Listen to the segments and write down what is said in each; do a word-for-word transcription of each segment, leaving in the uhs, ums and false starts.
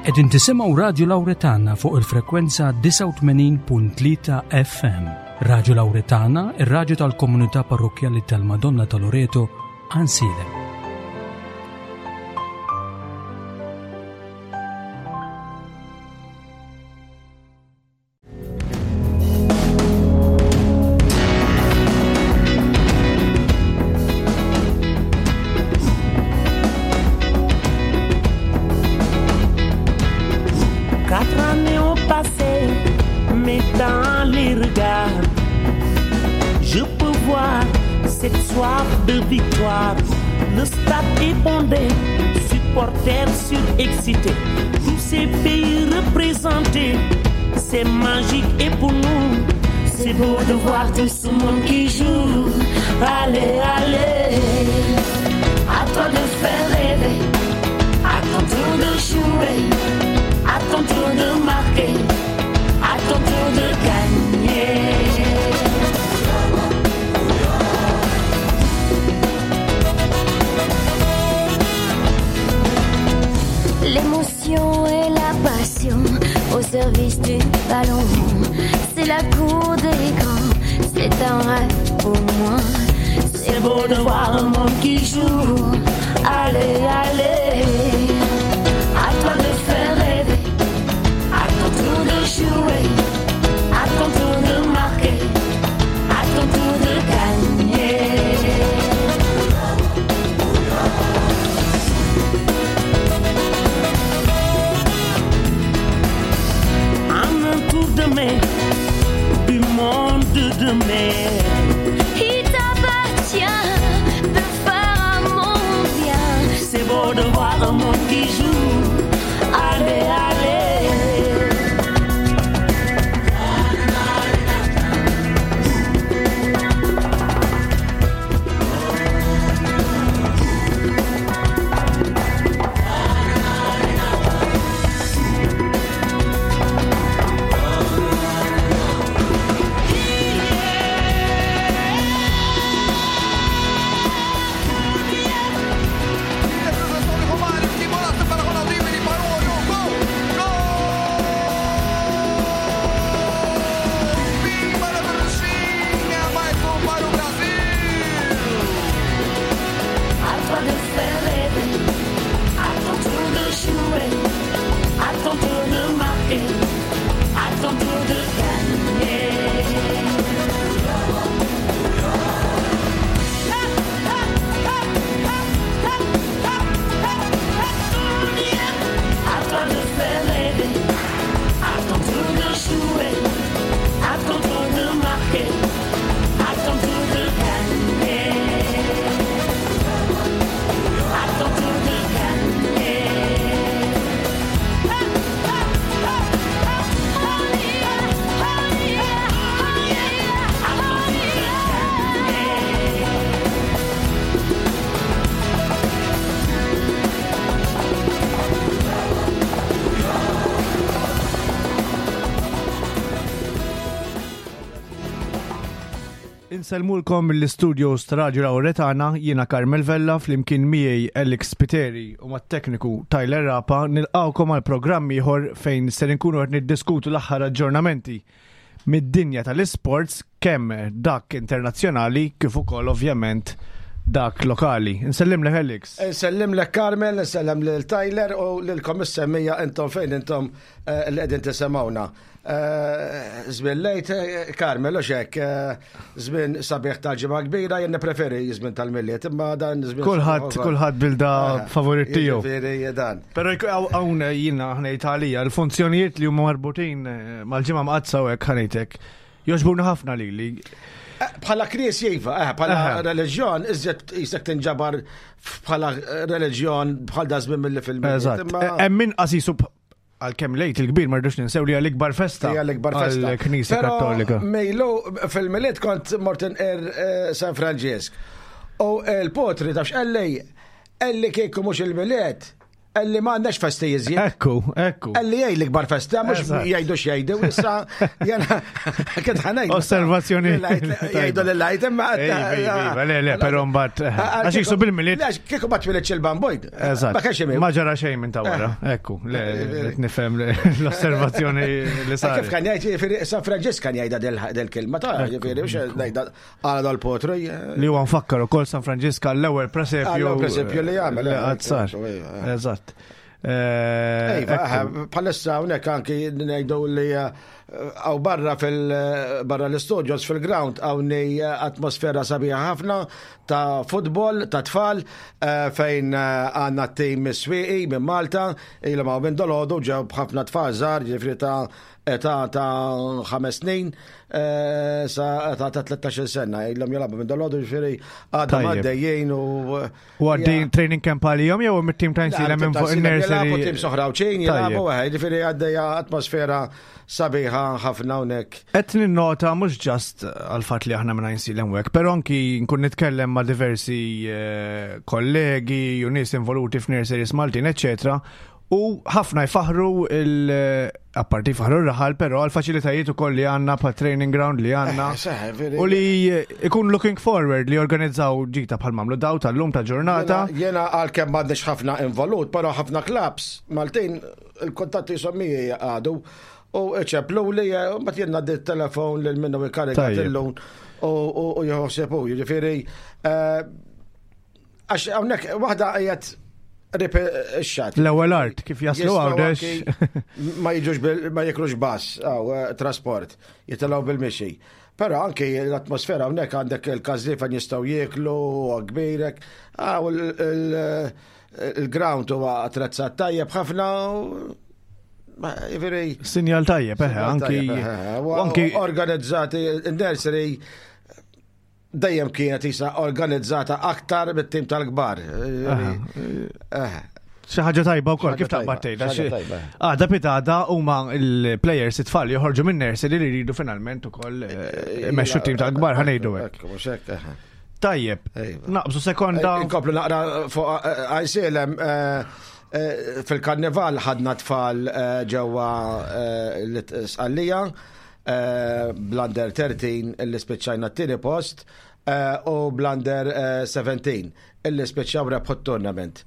Qegħdin tisimgħu Radju Lawretana fuq il-frekwenza disgħa u tmenin punt tlieta F M. Radju Lawretana, ir-radju tal-komunità parrokkjali tal-Madonna ta' Loreto, Għajnsielem. Insellmulkom mill-istudios ta' Radio Lawretana, jiena Carmel Vella, flimkien miegħi Alex Spiteri u mat-tekniku Tyler Rapa, nilqawkom għal programm ieħor fejn ser inkunu qed niddiskutu l-aħħar aġġornamenti mid-dinja tal-isports, kemm dak internazzjonali kif ukoll ovvjament dak lokali. Nsellimlek Alex. Nsellimlek Carmel, nsellem lil Tyler u lilkom is-semmija intom fejn intom, eh, li qegħdin tisimgħuna. Eh, żmien lejt, eh, Carmel, u xek, eh, żmien sabiħ tal-ġimgħa kbira, jien nippreferi żmien tal-Milied, imma dan żmien Kulħadd, sabiħ ukoll. kulħadd bilda Eh, favorit tiegħu. Jiġifieri dan. Però jkun hawn, hawn jiena ħnejt għalija l-funzjonijiet li huma marbutin, eh, mal-ġimgħa mqaddsa u hekk ħanejtek. Jogħġbuna ħafna lili. Eh, bħala knisja iva, eh, bħala Aha. reliġjon, iżjed jisek tinġabar bħala reliġjon bħal da żmien mill-li fil-Milied, Eżatt. imma Eh, hemm min qasisu b-, għalkemm lejt il-kbir ma rridux ninsew li hija l-ikbar festa Hija l-ikbar festa. għall-Knisja Però Kattolika. Mejlu fil-Milied kont mort inqer, eh, San Franġisk. U l-potri tafx qalli, qalli kieku mhux il-Milied, Illi ma għandnax festi jiżjed. Ekku, ekku. Illi jgħid l-ikbar festa, mhux jgħidu x'jgħidu, issa jena kien ħanejn. Osservazzjoni. Jgħidu lil-lajt imma. Le, le, però mbagħad. Eh, għax jiksu bil-miliet. Kieku ma twilidx il-bambojd. Eżatt. Ma kienx Ma ġara xejn minn ta' wara. Eh. Ekku, le, nifhem l-osservazzjoni li sar. Kif kan jgħid, San Franġisk kan jgħidha del-kelma ta' ġifieri, mhux ngħidha għala dal-potru. Li huwa nfakkar ukoll San Franġisk għall-ewwel presepju. Għall-ewwel presepju li jagħmel. Għad sar. Eżatt. Eh, iva, bħalissa hawnhekk anki ngħidu li għaw eh, barra fil barra l-studios fil-ground hawnni eh, atmosfera sabiħa ħafna ta' futbol, ta' tfal, fejn għandna tim Swieqi minn Malta, ilhom hawn minn dolodu ġew b'ħafna tfal żgħar, ġifieri ta' età ta' ħames snin sa età ta' tlettax-il sena, ilhom jilagħbu minn dolodu, ġifieri għadhom għaddejjin u. U għaddejjin training camp għalihom jew mit-tim ta' Għajnsielem minn fuq in-nursery? Jilagħbu tim soħra u ċin jilagħbu, ġifieri għaddejja atmosfera sabiħa ħafna hawnhekk. Qed ninnota mhux ġast għall-fatt li aħna minn Għajnsielem u hekk, però anki nkun nitkellem ma' diversi eh, kollegi u nies involuti f'nurseries Maltin, eċċetera, u ħafna jfaħru il apparti jfaħru r-raħal, però għal-faċilitajiet ukoll li għandna pa' training ground li għandna. Eh, u li ikun looking forward li organizzaw ġita bħal mamlu daw tal-lum ta' ġurnata. Jena għalkemm m'għandniex ħafna involut, però ħafna clubs Maltin il-kuntatti jisommi għadu u ċeplu li mbagħad jien ngħaddi t-telefon lil minnu ikarikat illum u jħossebu, jiġifieri eh, għax hawnhekk waħda qiegħed rip ix-xat. L-ewwel art kif jaslu għawdex. Ma jiġux ma jiklux bass għaw eh, trasport, jitilgħu bil-mixi. Però anki l-atmosfera hawnhekk għandek il-każli fejn jistgħu jieklu kbirek, għaw il-ground huwa attrezzat tajjeb ħafna. Jiġifieri. Sinjal tajjeb, eħe, anki. Anki organizzati, il-nursery dejjem kienet isa organizzata aktar bit-tim tal-kbar. Xi ħaġa tajba wkoll kif taqbad tgħidha. Għada pitada huma l-players it-tfal joħorġu minn nursery li jridu finalment ukoll imexxu t-tim tal-kbar ħa ngħidu hekk. Tajjeb, naqbżu sekonda. Inkomplu naqra fuq Għajnsielem fil-karnival ħadna tfal ġewwa l-Sqallija bl-under thirteen illi spiċċajna t-tieni post u bl-under seventeen illi spiċċaw rebħu t-tournament.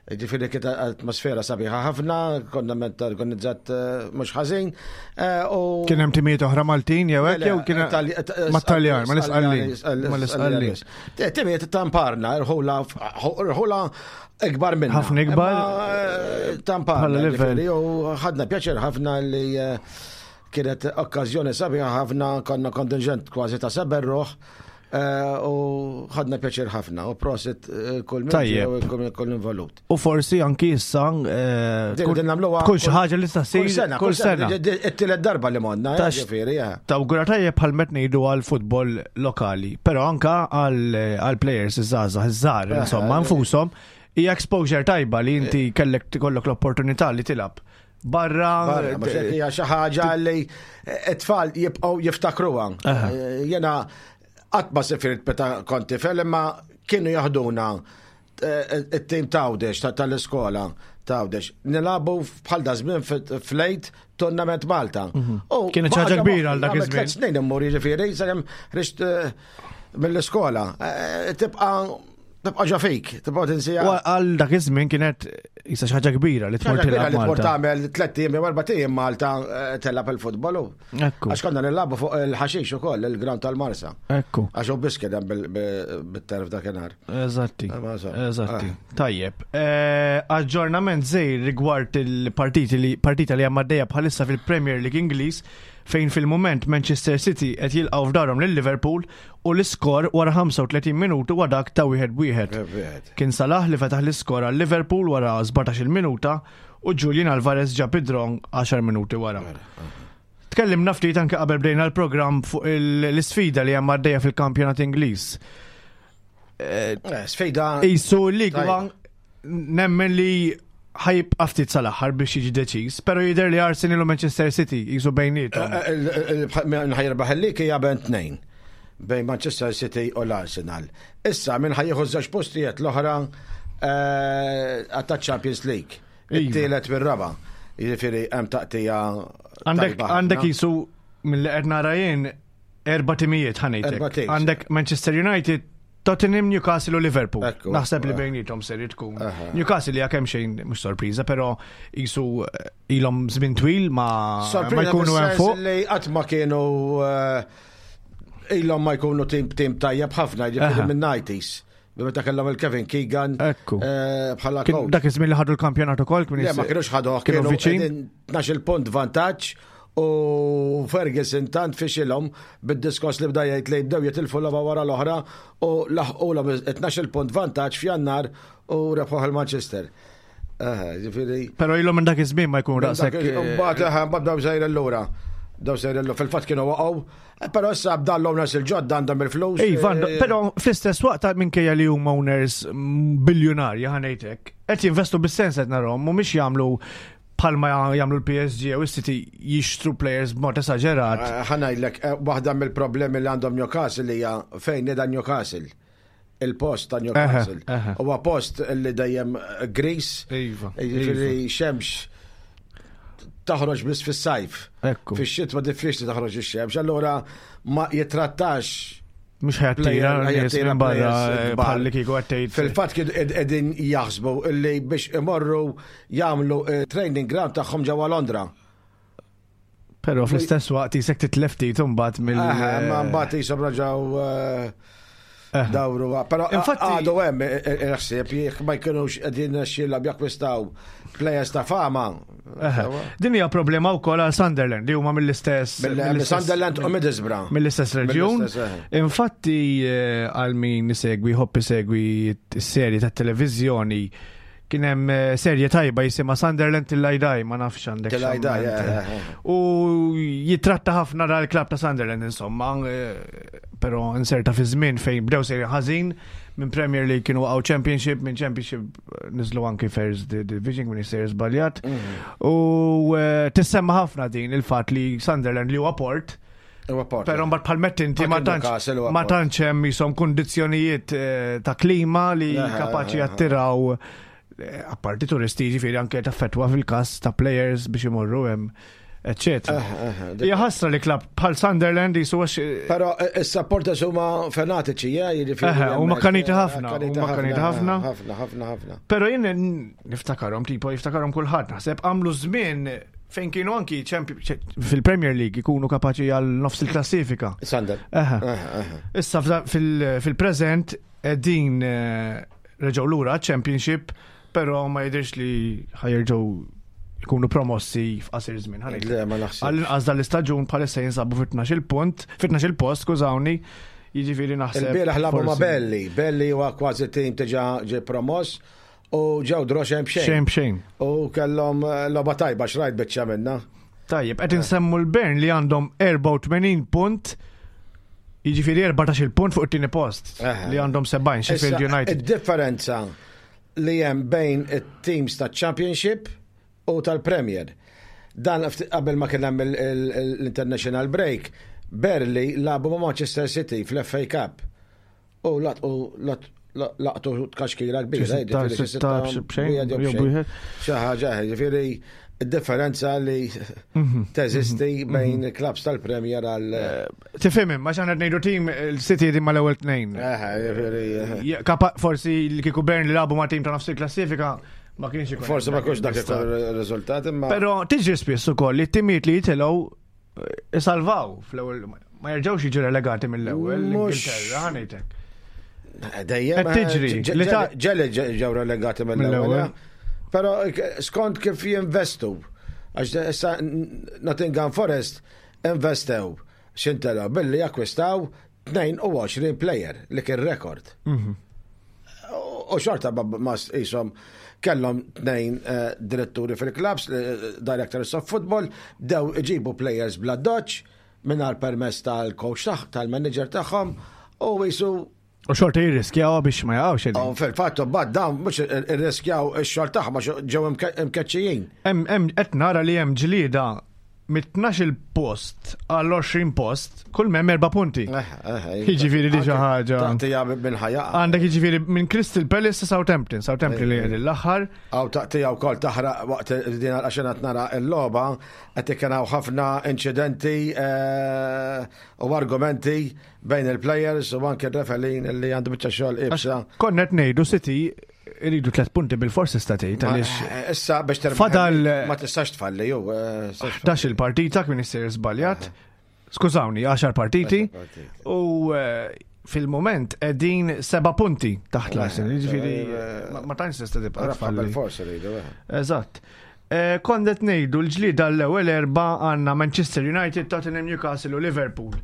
Ġifieri kienet atmosfera sabiħa ħafna, konna ment organizzat mhux ħażin. Kien hemm timijiet oħra Maltin jew hekk jew kien mat-Taljan, ma l-Isqallin. Ma l-Isqallin. Timijiet tamparna, irħula irħula ikbar minna. Ħafna ikbar. Tamparna. U ħadna pjaċir ħafna li kienet okkażjoni sabiħa ħafna, konna kontingent kważi ta' seba' ruħ. U ħadna pjaċir ħafna u prosit kull min kull involut. U forsi anki issa tkun xi ħaġa li tista' ssir kull sena. It-tielet darba li monna, ġifieri. Tawgura tajjeb bħal met ngħidu għal futbol lokali, però anka għal players iż-żgħażagħ iż-żgħar insomma nfushom hija exposure tajba li inti kellek tkollok l-opportunità li tilgħab. Barra, hija xi ħaġa li t-tfal jibqgħu jiftakruha. Jiena qatt ma sifirt meta kont tifel, imma kienu jaħduna it-tim t'Għawdex tal-iskola t'Għawdex. Nilagħbu bħal da żmien fl-lejt tournament Malta. Kienet xi ħaġa kbira għal dak iż-żmien. Tliet snin immur jiġifieri sakemm ħriġt mill-iskola. Tibqa' tibqa' ġo fik, tibqa' tinsija. Għal dak iż-żmien kienet jisa xi ħaġa kbira li tmur tilgħab. Li tmur tagħmel tliet ijiem jew erba' ijiem Malta telab il-futbol. Għax konna nilagħbu fuq il-ħaxix ukoll il-ground tal-Marsa. Ekku. Għax hu biss kien hemm bit-terf dakinhar. Eżatti. Eżatti. Tajjeb. Aġġornament żejr rigward il-partiti li partita li hemm għaddejja bħalissa fil-Premier League Ingliż fejn fil-moment Manchester City qed jilqgħu f'darhom lil Liverpool u l-iskor wara ħamsa u tletin minuta huwa dak ta' wieħed b'wieħed. Kien Salah li fetaħ l-iskor għal Liverpool wara sbatax-il minuta u Julian Alvarez ġab id-draw għaxar minuti wara. Tkellimna ftit anke qabel bdejna l-programm fuq l-isfida li hemm għaddejja fil-kampjonat Ingliż. Sfida. Isu l-League One nemmen li ħajibqa' ftit sal-aħħar biex jiġi deċiż, però jidher li Arsenal u Manchester City jisu bejniethom. Min ħajrbaħ il-lig hija bejn tnejn, bejn Manchester City u l-Arsenal. Issa min ħajjieħu żewġ postijiet l-oħra ta' Champions League. It-tielet mir-raba'. Jiġifieri hemm taqtija. Għandek għandek jisu mill-li qed nara jien erba' timijiet ħa ngħidlek. Għandek Manchester United, Tottenham, Newcastle u Liverpool. Naħseb li bejnietom ser tkun. Newcastle li kemm xejn mhux sorpriża, però jisu eh, ilhom żmien twil ma ma jkunu hemm fuq. Li qatt ma kienu eh, ilhom ma jkunu tim tim tajjeb ħafna, jiġifieri minn nineties. Meta kellhom il-Kevin Keegan eh, bħala coach. Dak iż-żmien li ħadu l-kampjonat ukoll kien. Le, ma kienux ħaduh, kienu viċin. tnax-il punt vantaġġ u Ferguson tant fixilhom bid-diskors li bda jgħid li bdew jitilfu logħba wara l-oħra u laħqulhom tnax-il punt vantaġġ f'Jannar u rebħuh il-Manchester. Ġifieri. Però ilhom minn dak iż-żmien ma jkun daqshekk. Mbagħad mbagħad bdew sejrin lura. Daw sejrin fil-fatt kienu waqgħu, però issa b'dan l-owners il-ġodda għandhom il-flus. Iva, però fl-istess waqt minkejja li huma owners biljonarji, ħa ngħidlek, qed jinvestu bis-sens qed narahom, mhumiex jagħmlu bħalma jagħmlu l-P S G u s-City, jixtru players b'mod esaġerat. Ħa ngħidlek, waħda mill-problemi li għandhom Newcastle hija fejn qiegħda Newcastle. Il-post ta' Newcastle. Huwa post li dejjem gris, Iva. jiġifieri xemx taħroġ biss fis-sajf. Fix-xitwa diffiċli taħroġ ix-xemx, allura ma jitrattax Mhux ħa jattira nies minn barra bħalli kieku għattejt. Fil-fatt kienu qegħdin jaħsbu illi biex imorru jagħmlu training ground tagħhom ġewwa Londra. Però fl-istess waqt jisek titlef ftit imbagħad mill. Ma mbagħad jisom raġaw dawru. Però Infatti- għadu hemm il-ħsieb jekk ma jkunux qegħdin xilla jakkwistaw players ta' fama. Din hija problema wkoll għal Sunderland li huma mill-istess Sunderland u Middlesbrough. Mill-istess reġjun. Infatti għal min isegwi, ħobb isegwi s-serji tat-televiżjoni, kien hemm serje tajba jisimha Sunderland Till I Die, ma nafx għandek. Till I Die. U jitratta ħafna dal-klab ta' Sunderland insomma, però inserta fi żmien fejn bdew serje ħażin, minn Premier League kienu waqgħu Championship, minn Championship niżlu anki First Division, minn sejjer żbaljat. U tissemma ħafna din il-fatt li Sunderland li huwa port, però mbagħad bħal mett inti ma tantx ma tantx hemm jisom kundizzjonijiet ta' klima li kapaċi jattiraw apparti turisti, ġifieri anke taffetwa fil-każ ta' players biex imorru hemm, eccetera. Hija ħasra li klab bħal Sunderland jisu għax. Però is-supporters huma fanatiċi, jiġifieri. Huma kaniti ħafna, huma kaniti ħafna. Ħafna, ħafna, ħafna. Però jien niftakarhom, tipo jiftakarhom kulħadd, naħseb għamlu żmien fejn kienu anki fil-Premier League ikunu kapaċi għal nofs il-klassifika. Sander. Issa fil-preżent din reġgħu lura Championship, però ma jidirx li ħa jerġgħu jkunu promossi f'qasir żmien. Le, ma naħsibx. Għall-inqas dal-istaġun bħalissa jinsabu fit-tnax-il punt, fit-tnax-il post, skużawni, jiġifieri naħseb. Il-bieraħ lagħbu ma' Burnley, Burnley huwa kważi tim diġà ġie promoss u ġew draw xejn b'xejn. Xejn b'xejn. U kellhom logħba tajba, xrajt biċċa minna. Tajjeb, qed insemmu l-Burnley li għandhom erbgħa u tmenin punt, jiġifieri erbatax-il punt fuq it-tieni post li għandhom sebgħin Sheffield United. Id-differenza li hemm bejn it-teams ta' Championship u tal-Premier. Dan qabel ma kien hemm l-International Break, Burnley lagħbu ma' Manchester City fl-F A Cup. U laqtu tkaxkira kbira. Xi ħaġa, ġifieri differenza li mhm. teżisti mhm. bejn mhm. klabs tal-Premier għal. Tifhem, ma xaħna ngħidu tim il-City di mal-ewwel tnejn. Forsi li kieku Burnley lagħbu ma' tim ta' nofs il-klassifika ma kienx ikun. Forsi ma kienx dak il-riżultat imma. Però tiġri spiss ukoll li t-timijiet li jitilgħu isalvaw fl-ewwel, ma jerġgħux jiġu relegati mill-ewwel l-Ingilterra, ħa ngħidlek. Dejjem. Tiġri. Ġeli ġew relegati mill-ewwel. Però skont kif jinvestu, għax issa Nottingham Forest investew xintela billi akkwistaw tnejn u għoxrin player li kien rekord. Mhm. U xorta ma jisom kellhom tnejn eh, diretturi fil-clubs, eh, directors of football, bdew iġibu players bla doċ mingħajr permess tal-coach tagħ, tal-manager tagħhom u jisu U xorta jirriskjaw biex ma jaqgħux. U fil-fatt bad dawn mhux irriskjaw ix-xogħol tagħhom għax ġew imkeċċijin. Hemm qed nara li hemm ġlieda Mit-tnax-il post għall-għoxrin post, kull mem erba' punti. Jiġifieri di xi ħaġa. Taqtija minn ħajja. Għandek jiġifieri minn Crystal Palace sa Southampton, Southampton li qegħdin l-aħħar. Aw taqtija wkoll taħraq waqt din għaxen qed nara l-logħba qed ikun hawn ħafna inċidenti eh, u argumenti bejn il-players u anke r-referee li għandu biċċa xogħol iebsa. Konna qed ngħidu City iridu tliet punti bil-forsi statejt għaliex Eh, Issa biex terbaħ Fadal- ma tistax tfalli jew. eh, tistax ħdax il-partita kien issir żbaljat. Skużawni, għaxar partiti. partiti. U eh, fil-moment qegħdin seba' punti taħt l-Arsenal. Jiġifieri ma- ma tantx tista' tibqa' Rebħa tfalli. bil-forsi rridu. eh. Eżatt. Eh, Kont qed ngħidu l-ġlida l-ewwel erba' għandna Manchester United, Tottenham, Newcastle u Liverpool.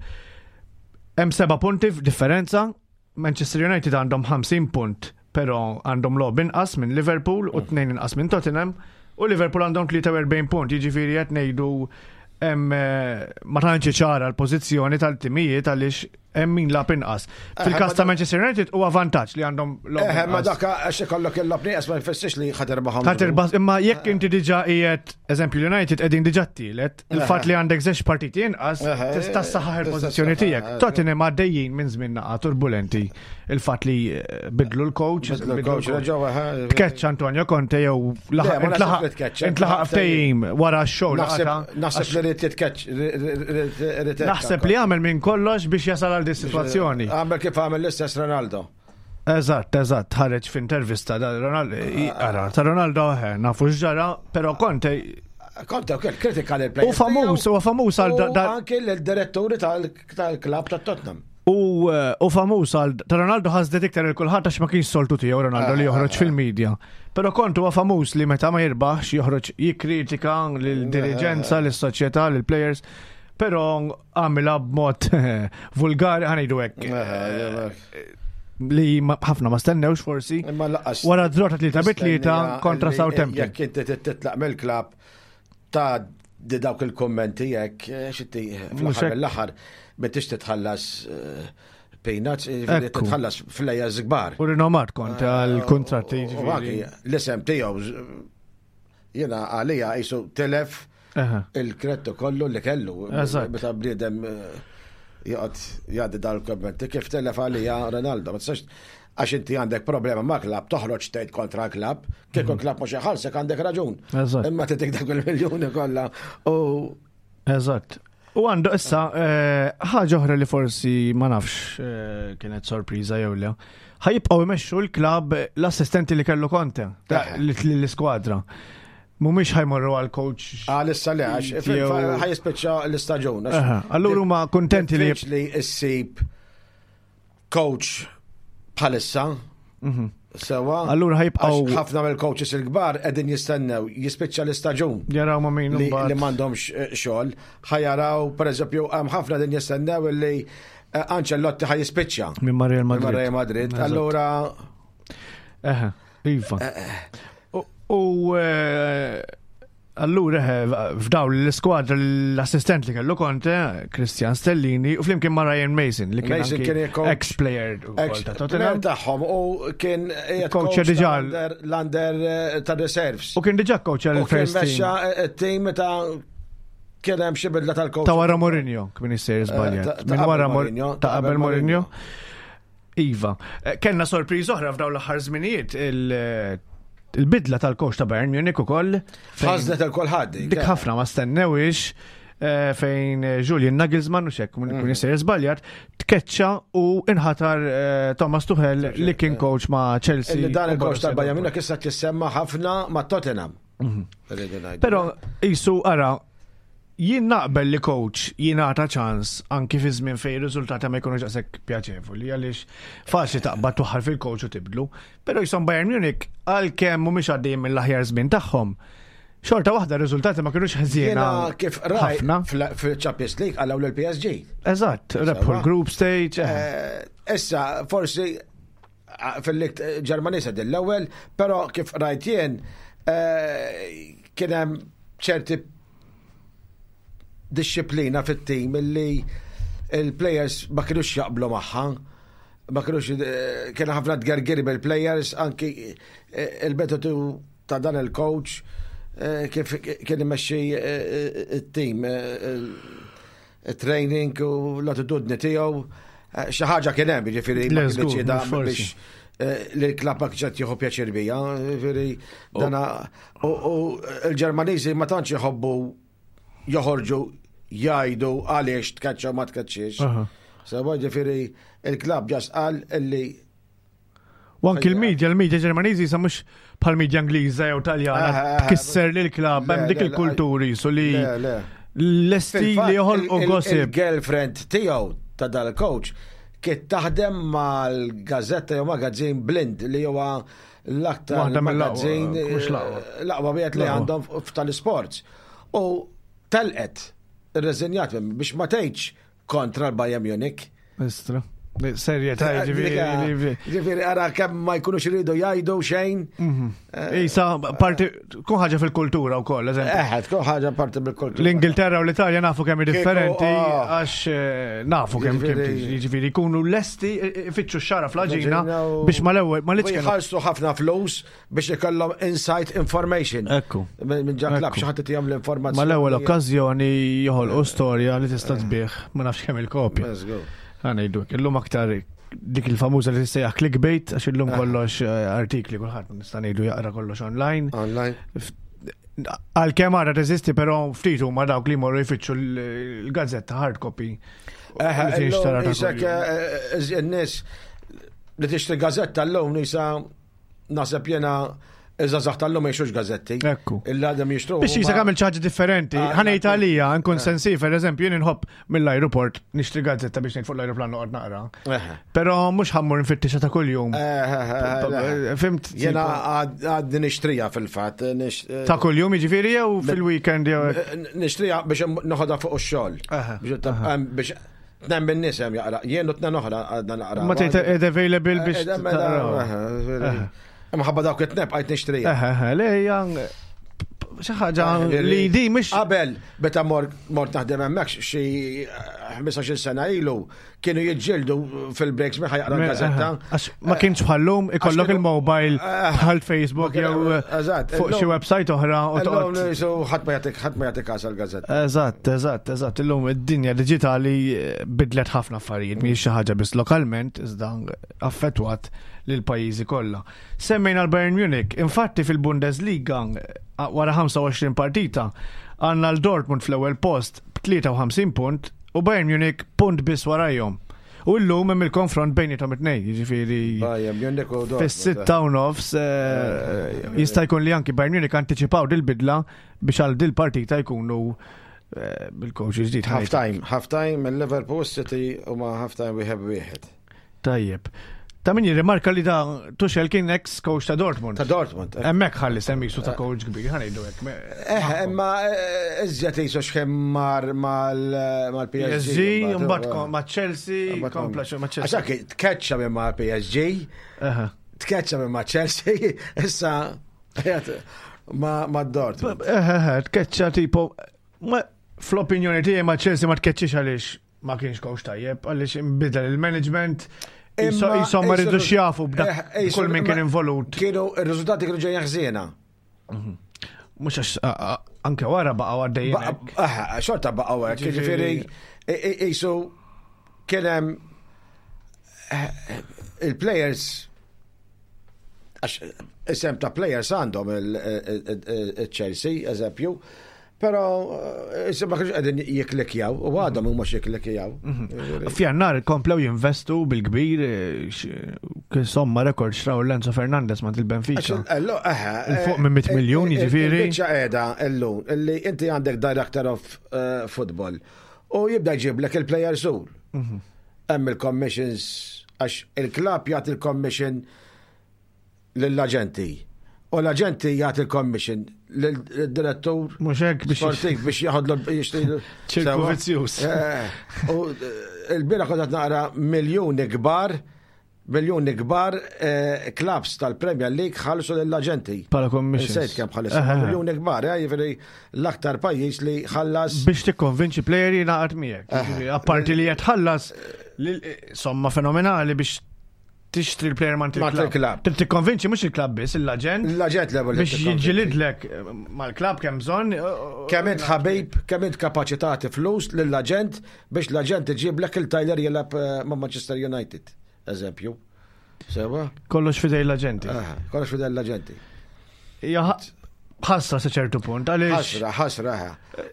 Hemm seba' punti differenza. Manchester United għandhom ħamsin punt, però għandhom logħob inqas minn Liverpool u tnejn inqas minn Tottenham. U Liverpool għandhom tlieta u erbgħin punt, jiġifieri qed ngħidu hemm eh, ma tantx ċara l-pożizzjoni tal-timijiet għaliex hemm min lagħab inqas. Fil-każ ta' Manchester United huwa vantaġġ li għandhom logħob Eh, ma inqas. dak għax ikollok il-logħob nieqes ma jfissirx li ħa tirbaħhom. Ħa tirbaħ, imma jekk inti diġà qiegħed, eżempju l-United qegħdin diġà t-tielet, il-fatt li għandek żewġ partiti inqas, Eħe, tista' ssaħħaħ tista' il-pożizzjoni ssaħħaħ, tiegħek. eh, Tottenham għaddejjin minn żmien naqa turbulenti. Il-fatt li eh, bidlu l-coach, Bidlu l-coach, reġgħu, eh, Tkeċċ Antonio Conte jew Le, ma naħseb intlaħaq li tkeċċa. intlaħaq ftehim wara x-show Naħseb naħseb li rrid titkeċ. Naħseb li għamel minn kollox biex jasal għal di situazzjoni. Għamel kif għamel l-istess Ronaldo. Eżatt, eżatt, ħareġ f'intervista da Ronaldo, ara, ta' Ronaldo eh, nafu x'ġara, però Conte Conte wkoll kritika lil players. U famuż, huwa famuż għal da- da- Anke l-diretturi tal-klab ta' Tottenham. U, eh, u famuż għal ta' Ronaldo ħasdet iktar il kulħadd għax ma kienx soltu tiegħu Ronaldo li joħroġ fil-medja. Però Conte huwa famuż li meta ma jirbaħx joħroġ jikkritika lil-diriġenza, lis-soċjetà, lill-players, però għamilha b'mod vulgari ħa ngħidu hekk li ma- ħafna ma stennewx forsi. Imma lanqas. Wara draw ta' tlieta bi tlieta kontra Li Southampton. Jekk inti titlaq mill-klab ta' di dawk il-kommenti jekk eh, xinti Mhux fl-aħħar hekk. mill-aħħar m'intix titħallas eh, peanuts, jiġifieri Ekku. titħallas flejjes kbar. U rinomat Conte għal kontratti U anki l-isem tiegħu jiena għalija jisu telef Eħe. il-kredtu kollu li kellu. Eżatt. Meta bniedem eh, joqgħod jgħaddi dal-kommenti kif telef għalija Ronaldo. Ma tistax għax inti għandek problema ma' klab, toħroġ tgħid kontra klab, kieku klab mhux iħallsek għandek raġun. Eżatt. Imma titik dak il-miljuni kollha u Eżatt. U għandu issa eh, ħaġa oħra li forsi ma nafx eh, kienet sorpriża jew le. Ħa jibqgħu jmexxu l-klab l-assistenti li kellu Conte ta' Eh. l-iskwadra. Mhumiex ħa jmorru għal coach. Għal issa le għax Jew- ħa jispiċċa l-istaġun. għax Aha, allura huma kuntenti li Diffiċli issib coach bħalissa. Sewa. Mhm. Allura Għax ħa jibqgħu ħafna mill-coaches il-kbar qegħdin jistennew jispiċċa l-istaġun. jaraw ma' min li, imbagħad. li m'għandhomx eh, xogħol, ħa jaraw pereżempju hemm ħafna din jistennew li eh, Ancelotti ħa jispiċċa Minn ma' Real minn Madrid. Real Madrid. Eżatt. Allura Eħe, iva. U- U eh, allura eħe, f'daw l-iskwadra l-assistent li kellu Conte, Christian Stellini, u flimkien ma' Ryan Mason, li kien Mason anki kien il-coach. ex-player ukoll ex ta' player Tottenham. tagħhom u kien qiegħed Coach coach diġà tal-under- l-under eh, ta' reserves. U kien diġà coach U kien għal-first team. mexxa eh, it-team meta kien hemm xi bidla tal-coach. Ta' wara Mourinho, kien issir Eh, żbaljat. ta- ta' Minn qabel wara Mor- Mourinho, ta' qabel Mourinho. Iva. Eh, Kellna sorpriż oħra f'daw l-aħħar żminijiet il- il-bidla tal-coach ta' Bayern Munich ukoll. fejn- Ħasdet il-kulħadd. Dik ħafna ma stennewix eh, fejn eh, Julian Nagelsmann u xek, kun Mhm. jisir żbaljat, tkeċċa u inħatar eh, Thomas Tuchel li kien coach ma' Chelsea. Illi dan u il-coach Borussia tal-Bayern Dortmund. Munich issa tissemma ħafna ma' Tottenham. Irridu ngħidu. Però jisu ara, jien naqbel li coach jingħata ċans anki fi żmien fejn ir-riżultati ma jkunux daqshekk pjaċevoli għaliex faċli taqbad tuħar fil-coach u tibdlu. Però jisom Bayern Munich għalkemm mhumiex għaddejjin mill-aħjar żmien tagħhom. Xorta waħda r-riżultati ma kinux ħżiena Jiena kif raj ħafna. fil-Champions League għalaw l-P S G. Eżatt, rebħu l-group stage. eh. Eh, Issa, forsi ah, fil-lig Ġermaniża din l-ewwel, però kif rajt jien eh, kien hemm ċerti disċiplina fit-tim illi il-players ma kienux jaqblu magħha. Ma kienux eh, kien ħafna tgergiri bil-players, anki eh, il-metodu ta' dan il-coach eh, kif kien imexxi it-tim, il-training u l-attitudni tiegħu. Xi ħaġa kien hemm, jiġifieri ma Le, żgur, kienx da mhux forsi. biex eh, li l-klabb ma kienx qed jieħu pjaċir bija, jiġifieri dana u u l-Ġermaniżi ma tantx jħobbu joħorġu jgħidu għaliex tkaċċa u ma tkaċċiex. Aha. Sewwa ġifieri il-klabb just qal illi U anki l-medja, l-medja Ġermaniżi sa mhux bħal media Ingliża jew Taljana Eh, eh, tkisser lil klabb hemm Le, dik le, il-kulturi su li Le, le. lesti Fil-fatt, li joħolqu il- il- gossip. Il-girlfriend tiegħu ta' dal-coach kien taħdem mal-gazzetta jew magazin Bild li huwa l-aktar Waħda mill-aqwa, magazin mhux l-aqwa. l-aqwa wieħed li L-aqwa. għandhom tal-sports. U telqet irreżenjat biex ma tgħidx kontra l-Bayern Munich. Istra. Serjetà, ġifieri. Ġifieri ara kemm ma jkunux iridu jgħidu xejn. Isa, parti, kun ħaġa fil-kultura u koll, eżempju. Eh, tkun ħaġa parti bil-kultura. L-Ingilterra u l-Italja nafu kemm hi differenti, ah. għax eh, nafu kemm kemm Ġifieri- jiġifieri jkunu lesti eh, ifittxu x-xara fl-għaġina L-għaġina u- biex mal-ewwel ma U liċ jħallsu ħafna flus biex ikollhom inside information. Ekku. Minn minn ġa klabb Ekku. xi ħadd itihom l-informazzjoni. Mal-ewwel okkażjoni joħolqu storja li tista' tbigħ ma nafx kemm il-kopja. Let's go. Ħa ngħidu, illum aktar dik il-famuża li tissejjaħ clickbait għax illum kollox eh, artikli kulħadd nista' ngħidu jaqra kollox online. Online. Għalkemm għadha teżisti però ftit huma dawk li jmorru jfittxu l-gazzetta hard copy. Eh, Li tinxtara ta' Isek kuljum. n-nies li tixtri gazzetta l-lum nisa naħseb jena iż-żgħażagħ tal-lum ma jixtrux gazzetti. Ekku. Illa għadhom jixtru. Biex jisa għamil ħaġa differenti. Ah, Ħa ngħid għalija, nkun Eh. sensiv, per eżempju, jien inħobb mill-aeroport nixtri gazzetta biex ngħid fuq l-aeroplan noqgħod naqra. Eh, Però mhux ħa mmur nfittixa ta' kuljum. eh, Fhimt? Jena tipo, għadni nixtrija fil-fatt. nix- Ta' kuljum jiġifieri jew fil-weekend jew hekk? Nixtrija biex noħodha fuq ix-xogħol. Aha, Biex biex tnejn bin-nies hemm jaqra. Jien u tnejn oħra għadna naqra. Ma tgħid ed available biex taqraw. Mħabba dawk it-tnejn bqajt nixtrija. Eħe, eħe, le hija xi ħaġa li di mhux Qabel, meta mort mort naħdem hemmhekk xi ħmistax-il sena ilu, kienu jiġġieldu fil-breaks minn ħa jaqra l-gazzetta. Għax ma kienx bħallum ikollok kienu- il-mobile Eh, bħal Facebook ma kien- jew eżatt, fuq xi illum- website oħra u Illum toqgħod. nisu ħadd ma jagħtik ħadd ma jagħtik kas l-gazzetta. Eżatt, eżatt, eżatt. Illum id-dinja diġitali eh, bidlet ħafna affarijiet, mhijiex xi ħaġa biss lokalment, iżda affettwat lil pajjiżi kollha. Semmejna l-Bayern Munich, infatti fil-Bundesliga eh, wara ħamsa u għoxrin partita għandna l-Dortmund fl-ewwel post b'tlieta u ħamsin punt u Bayern Munich punt biss warajhom. U llum hemm il-konfront bejniethom it-tnejn, jiġifieri Bayern Munich u Dortmund. fis-sitta u nofs eh, jista' jkun li anki Bayern Munich antiċipaw dil-bidla biex għal dil-partita jkunu eh, bil-coach ġdid. Half time, half time il-Liverpool City u ma half time wieħed wieħed. Tajjeb. Ta' min jirrimarka li da Tuchel kien ex coach ta' Dortmund. Ta' Dortmund. eh. Hemmhekk ħalli semmisu ta' coach kbir, ħa ngħidu hekk. Eh, imma eh, iżjed jisu xħem mar mal-P S G. P S G, mbagħad kom- ma' Chelsea, kompla xi ma' Chelsea. Għax tkeċċa minn ma' P S G, Aha. tkeċċa minn ma' Chelsea, issa qiegħed ma' ma' Dortmund. Eh, eh, tkeċċa tipo, ma fl-opinjoni tiegħi ma' Chelsea ma tkeċċix għaliex ma kienx coach tajjeb, għaliex inbidel il-management, Imma- jisom ma ridux jafu b'dak Eh, jisu- kull min kien ma- involut. Kienu, il-riżultati kienu ġejjin ħżiena. Mhux għax a- a- anke wara baqgħu għaddejjin. hekk. Ba- eh, Xorta baqgħu hekk, Ġifieri- jiġifieri jisu kien hemm eh, il-players għax isem ta' players għandhom il-Chelsea, eżempju, pero eh, isem ma kienx qegħdin jiklikjaw u għadhom huma jiklikjaw. F'Jannar komplew jinvestu bil-kbir, eh, x- kien somma rekord xtraw Enzo Fernandez ma' il-Benfica. Il fuq minn mitt miljun, jiġifieri. Biċċa qiegħda illum illi inti għandek director of eh, football u jibda jġiblek il-players sul. Mhm. Hemm il-commissions għax il-klabb jagħti il-commission lill-aġenti. U l-aġenti jagħti il-commission lill-direttur Mhux hekk biex sportiv biex jaħodlu jixtri. Ċirku Sewa. vizzjuż. Eh, U eh, il-bieraħ kont qed naqra miljuni kbar, miljuni kbar eh, clubs tal-Premier League ħallsu lill-aġenti. Bħala commissions. Insejt kemm ħallis. Aha. Miljuni kbar, eh, jiġifieri l-aktar pajjiż li ħallas. Biex tikkonvinċi player jingħaqad miegħek. Eh. Jiġifieri, apparti li jitħallas lil- somma fenomenali biex tixtri l-player ma' il-klabb. Trid tikkonvinċi mhux il-klabb biss, l-aġent. L-aġent l-ewwel. Biex jiġġilidlek mal-klabb kemm bżonn. Kemm int ħabib, kemm int kapaċi tagħti flus lill-aġent biex l-aġent iġiblek il-Tyler jilgħab eh, ma' Manchester United, eżempju. Sewa? Kollox fidej l-aġenti. Kollox fidej l-aġenti. Ħasra sa ċertu punt, għaliex. Ħasra, ħasra.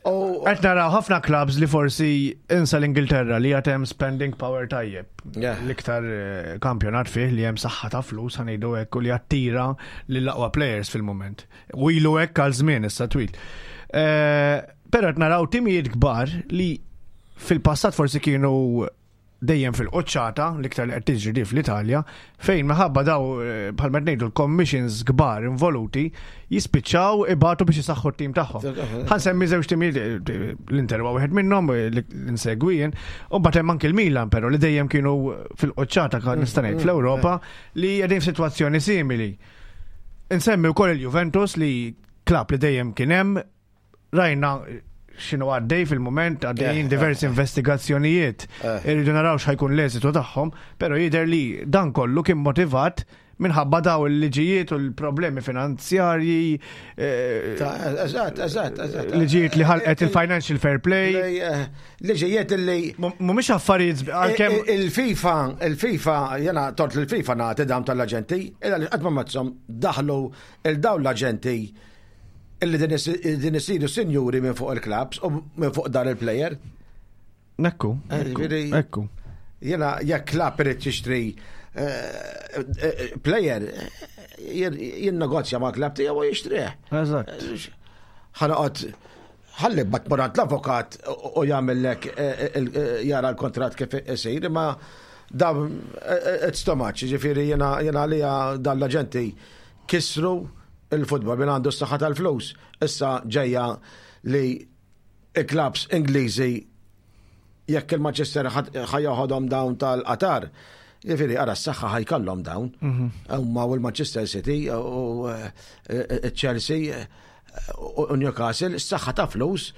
Qed naraw ħafna clubs li forsi insa l-Ingilterra li għad hemm spending power tajjeb. L-iktar eh, kampjonat fih li hemm saħħa ta' flus ħa ngħidu hekk u li attira lill-aqwa players fil-moment. U ilu hekk għal żmien issa twil. Eh, però qed naraw timijiet kbar li fil-passat forsi kienu dejjem fil-qoċċata, l-iktar li qed tiġri di fl-Italja, fejn minħabba daw eh, bħalma ngħidu l-commissions kbar involuti jispiċċaw ibatu biex isaħħu t-tim tagħhom. Ħa nsemmi żewġ timijiet eh, l-Inter huwa wieħed minnhom eh, li nsegwi jien, u mbagħad hemm anke l-Milan però li dejjem kienu fil-qoċċata kan nista' ngħid fl-Ewropa li qegħdin f'sitwazzjoni simili. Insemmi wkoll il-Juventus li klab li dejjem kien hemm rajna x'inhu għaddej fil-moment, għaddejjin diversi investigazzjonijiet. Irridu naraw x'ħa jkun l-eżitu tagħhom, però jidher li dan kollu kien motivat minħabba daw il-liġijiet u l-problemi finanzjarji. Eh, eżatt, eżatt, eżatt. Liġijiet li ħalqet il-Financial Fair Play. Eh, liġijiet li. Mhumiex affarijiet għalkemm. Il-FIFA, il-FIFA, jiena tort il-FIFA nagħti dawn tal-aġenti, illa li qatt ma mazzhom daħlu il-dawn l-aġenti illi din isiru sinjuri minn fuq il-clubs u minn fuq dan il-player. Ekku, eh, ekku. Jiena jekk club irid jixtri eh, eh, player, jinnegozja ma' club tiegħu u jixtrih. Eżatt. Ħa noqgħod ħalli bat morant l-avukat u jagħmellek jara l-kontrat kif isir, imma da it's too much, ġifieri jiena jiena għalija dan l-aġenti kisru il-futbol minn għandu s-saħħa tal-flus. Issa ġejja li il-clubs Ingliżi jekk il-Manchester ħa joħodhom dawn tal-Qatar, ġifieri ara s-saħħa ħa jkollhom dawn. Mhm. Huma u l-Manchester City u eh, Chelsea u Newcastle, s-saħħa ta' flus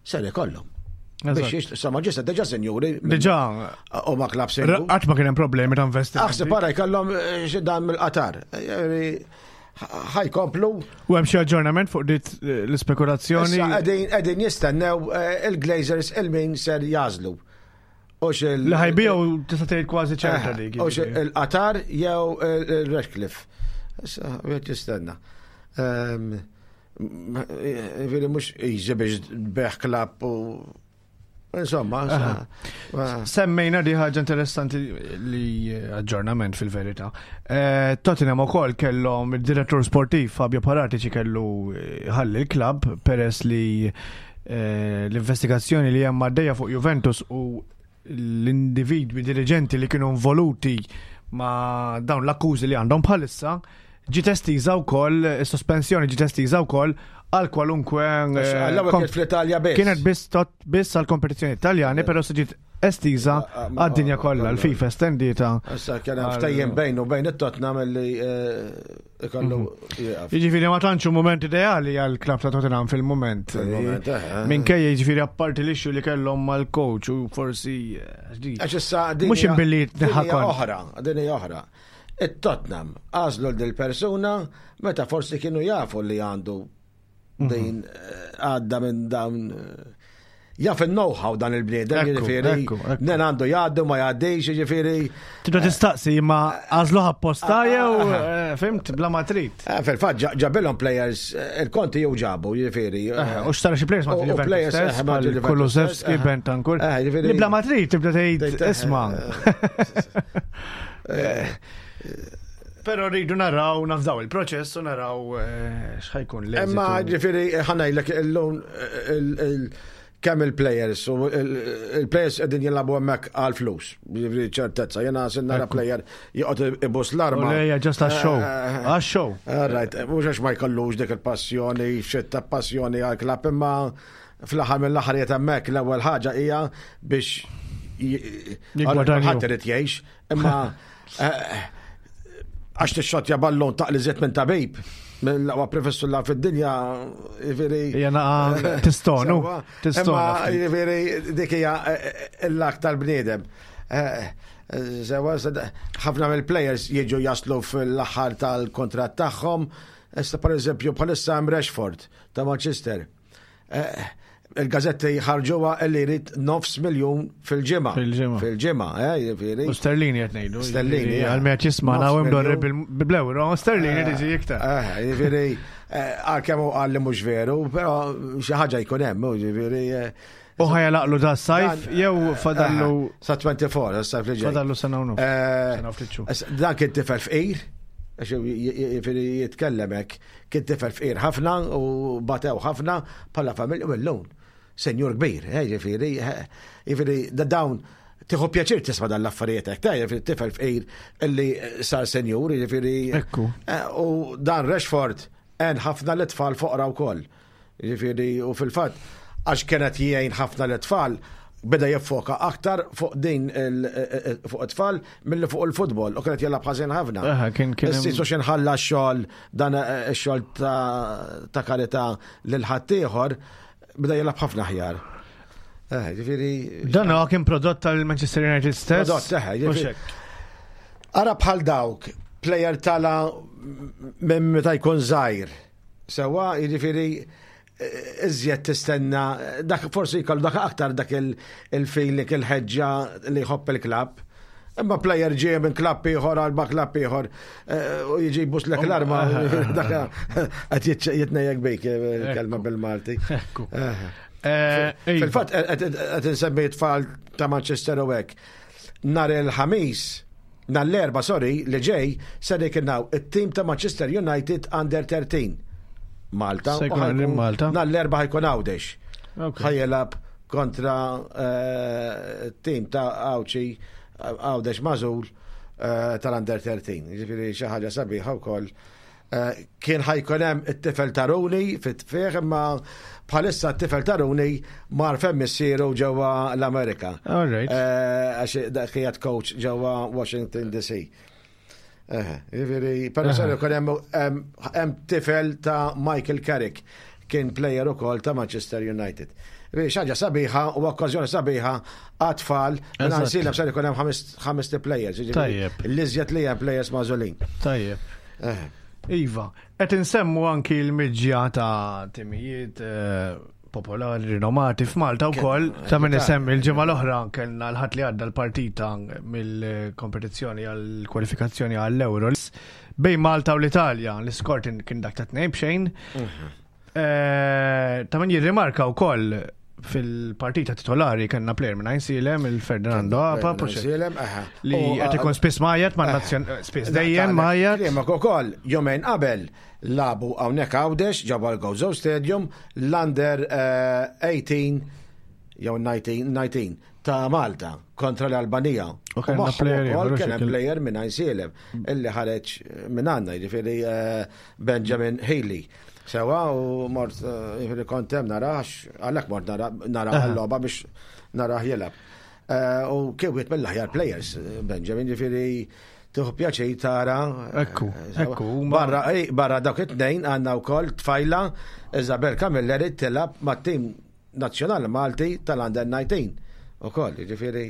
ser ikollhom. Biex sa Manchester diġà sinjuri. Diġà. U ma club sinjuri. Qatt ma kien hemm problemi ta' investiment. Aħseb para jkollhom eh, xi dan mill-Qatar. Ħa jkomplu. U hemm xi aġġornament fuq dit eh, l-ispekulazzjoni? Qegħdin jistennew eh, il-Glazers il-min ser jagħżlu. Li ħa jbigħu tista' tgħid kważi ċerta dik. U il-Qatar jew il-Ratcliffe. Issa wieħed jistenna. Ehm, Ġifieri mhux easy biex tbigħ club u insomma, Semmejna di ħaġa interessanti li aġġornament fil-verità. Eh, Tottenham ukoll kellhom id-direttur sportiv Fabio Paratici kellu ħalli l-klabb peress li eh, l-investigazzjoni li hemm għaddejja fuq Juventus u l-individwi dirigenti li kienu involuti ma' dawn l-akkużi li għandhom bħalissa ġiet estiża wkoll, is-sospensjoni ġiet estiża wkoll għal kwalunkwe. Eh, kienet fl-Italja biss. Kienet biss biss għal kompetizzjoni Italjani, però se ġiet estiża ah, ah, għad-dinja kollha, l-FIFA estendietha. Issa kien hemm ftehim bejn u bejn it-Tottenham li eh, ikollu mhm. jieqaf. Jiġifieri ma tantx moment ideali għal klabb ta' Tottenham fil-moment. Eh. Minkejja jiġifieri apparti l-issue li kellhom mal-coach u forsi. Għax issa mhux imbilli oħra, din hija oħra. It-Tottenham għażlu dil-persuna meta forsi kienu jafu li għandu mhm. din eh, għadda minn dawn jaf il-know-how dan il-bniedem, ġifieri, nen għandu jgħaddu, ma jgħaddix, ġifieri. Tibda tistaqsi, ma għażluh apposta jew, eh, fhimt, bla ma trid. Eh, fil-fatt, ġabilhom players, eh, il-Conte jew ġabu, ġifieri. U xtara xi players ma players Kulusevski, Bentancur. Li bla ma trid, tibda tgħid isma'. Pero rridu naraw, nafdaw il-proċess u naraw x'ħa jkun l Imma ġifieri ħa ngħidlek illum kemm il-players u il-players qegħdin jilagħbu hemmhekk għal flus. Ġifieri ċertezza, jiena se nara player joqgħod ibus l-arma. Lejja just għax-show. Eh, għax-show. Right, mhux għax ma jkollux dik il-passjoni, xitta passjoni għal klabb imma fl-aħħar mill-aħħar jiet hemmhekk l-ewwel ħaġa hija biex ħadd irid jgħix, imma eh, għax tixxotja ballon taqli żiet minn tabib mill-aqwa professur la fid-dinja, ġifieri. Jena tistonu. Tistonu. Ġifieri, dik hija eh, eh, l-lak tal-bniedem. Eh, Sewa, ħafna mill-players jiġu jaslu fl-aħħar tal-kontratt tagħhom. Issa, per eżempju, bħalissa hemm Rashford ta' Manchester. Eh, Il-gazetti ħarġuha li jrid nofs miljun fil-ġimgħa. Fil-ġimgħa. Fil-ġimgħa, eh, jiġifieri. U sterlini qed ngħidu. Sterlini, eh. Għal meta jisma' Nofs naw imdorri miljun. bil-euro, sterlini tiġi iktar. Eh, jiġifieri, eh, għalkemm hu qal li mhux veru, però xi ħaġa jkun hemm, jiġifieri. eh, U ħa jagħlaqlu da sajf dan- jew fadallu eh, Sa twenty-four, sa sajf li ġej. Fadallu sena u nofs. Eh, Sena u ftit xhur. es- Dan kien tifel fqir, għax jiġifieri jitkellem hekk, kien tifel fqir ħafna u batew ħafna bħala familja u llum. Senjur kbir, eh, jiġifieri, eh, jiġifieri da dawn tieħu pjaċir tisma' dan l-affarijiet hekk, ta' jiġifieri tifel fqir illi sar senjur, jiġifieri. Ekku. Eh, U dan Rashford għen ħafna l-tfal foqra wkoll. Jiġifieri, u fil-fatt, għax kienet jgħin ħafna l-tfal, beda jiffoka aktar fuq din il- fuq it-tfal milli fuq il-futbol u kienet jilgħab ħażin ħafna. Aha, kien- kien hemm- Issa xi nħalla x-xogħol dan eh, ix-xogħol ta' ta' karità lil ħaddieħor, beda jilgħab ħafna aħjar. Eh, jiġifieri Dan huwa kien prodott tal-Manchester United stess. Prodott, eħe, U jiġifieri- xek. Ara bħal dawk, player tala minn meta jkun żgħir. Sewa, jiġifieri eh, iżjed tistenna, dak forsi jkollu dak aktar dak il- il-feeling, il-ħeġġa li jħobb il-klabb. Imma player ġie minn klabb ieħor għal ma klabb ieħor eh, u jiġi jbuslek l-arma, dak qed jitnejjek bik, eh, il-kelma bil-Malti. Ekku. Eh. Eh, iva. Fil-fatt qed insemmi tfal ta' Manchester u hekk. Nhar il-Ħamis, nhar l-Erbgħa, sorry, li ġej, se jkun it-tim ta' Manchester United Under thirteen. Malta. Se U jkun ħajkun- in Malta. Nhar l-Erbgħa ħa jkun Għawdex. Ok. Ħa jilgħab kontra eh, tim ta' Għawdxi, Għawdex magħżul eh, tal-Under thirteen. Ġifieri xi ħaġa sabiħa wkoll. Eh, Kien ħa jkun hemm it-tifel ta' Rooney fit-tfieħ, imma bħalissa t-tifel ta' Rooney mar fejn missieru ġewwa l-Amerika. All right. Eh, Għax dak kienet coach ġewwa Washington D C. Eh, Ġifieri, però ser ikun hemm hemm- hemm tifel ta' Michael Carrick, kien player ukoll ta' Manchester United. Ġifieri xi ħaġa sabiħa u okkażjoni sabiħa għat-tfal, Eżatt. Għajnsielem ser ikun hemm ħames ħames players, ġifieri Tajjeb. l-iżjed li hemm players magħżulin. Tajjeb. Eh. Iva, qed insemmu anki l-miġja ta' timijiet eh, popolari rinomati f'Malta wkoll, ta' min isemmi l-ġimgħa l-oħra kellna l-Ħadd li għadda l-partita mill-kompetizzjoni għall-kwalifikazzjoni għall-Euro bejn Malta u l-Italja, l-iskor kien dak ta' tnejn b'xejn. Eh, Ta' min jirrimarka wkoll fil-partita titolari kellna player minn Għajnsielem, il-Ferdinando Apa, Għajnsielem, aha. li U, qed ikun spiss mgħajjat ma' nazzjon, spiss dejjem mgħajjat. Klimak ukoll, jumejn qabel lagħbu hawnhekk Għawdex ġewwa l-Gozo Stadium l-Under eh, eighteen jew nineteen nineteen ta' Malta kontra l-Albanija. U kellna magħhom player ukoll ieħor, kien hemm xi player minn Għajnsielem illi ħareġ minn għandna, jiġifieri eh, Benjamin Haley. Sewa, u mort eh, jiġifieri kont hemm narax, għalhekk mort nara nara Aha. l-logħba biex narah jilgħab. Eh, U kien wieħed mill-aħjar players, Benjamin, ġifieri tieħu pjaċir tara. Ekku, eh, sewa. ekku, huma- Barra, ej, barra dawk it-tnejn għandna wkoll tfajla Isabel Camilleri tilgħab mat-tim nazzjonali Malti tal-Under nineteen. Ukoll, jiġifieri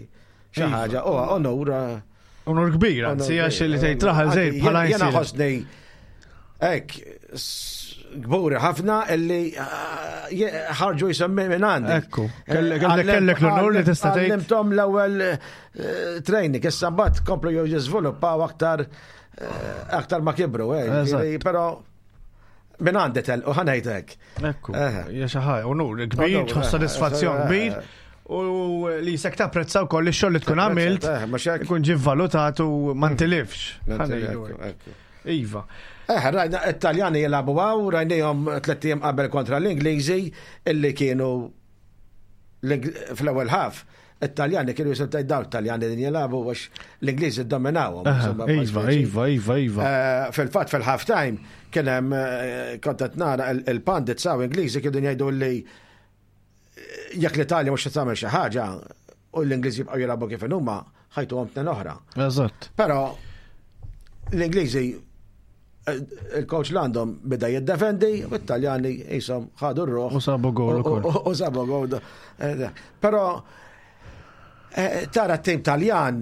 xi Iva. ħaġa, u onur. eh, Onur kbir, anzi, għax li tgħid raħal żejt bħala Jena Għajnsielem. ħossni hekk kburi ħafna illi ah, je- ħarġu jisemmi minn għandi. Ekku, kellek kellek l-onur li tista' tgħid. Għallimthom l-ewwel eh, training, issa mbagħad komplu jew jiżviluppaw aktar eh, aktar ma kibru, eh, Eżatt. ġifieri, però minn għandi tel u ħa ngħidlek. Ekku, Eh. hija xi ħaġa, onur kbir, Onur, tħoss eh, sodisfazzjon eh, kbir u li jisek tapprezza wkoll ix-xogħol li tkun għamilt Eh, mhux hekk? ikun ġie valutat u ma ntilifx. Ħa ngħidu Ekku, hekk. ekku. Iva. Eh, rajna it-Taljani jilagħbu għaw, rajnihom tlett ijiem qabel kontra l-Ingliżi illi kienu l-Ing- fl-ewwel half. It-Taljani kienu jisim tgħid dawn it-Taljani din jilagħbu għax l-Ingliżi ddominawhom. Aha, Insomma, Iva, speċi. iva, iva, iva. Eh, Fil-fatt fil-half time kien hemm eh, kont qed nara il- il-pundits saw Ingliżi kienu jgħidu li eh, jekk l-Italja mhux tagħmel xi ħaġa u l-Ingliżi jibqgħu jilagħbu kif huma, ħa jtuhom tnejn oħra. Eżatt. Però l-Ingliżi eh, il-coach l għandhom bida jiddefendi u t-Taljani jisom ħadu r-ruħ. U sabu goal U- ukoll. U u sabu goal. Eh, Però eh, tara t-tim Taljan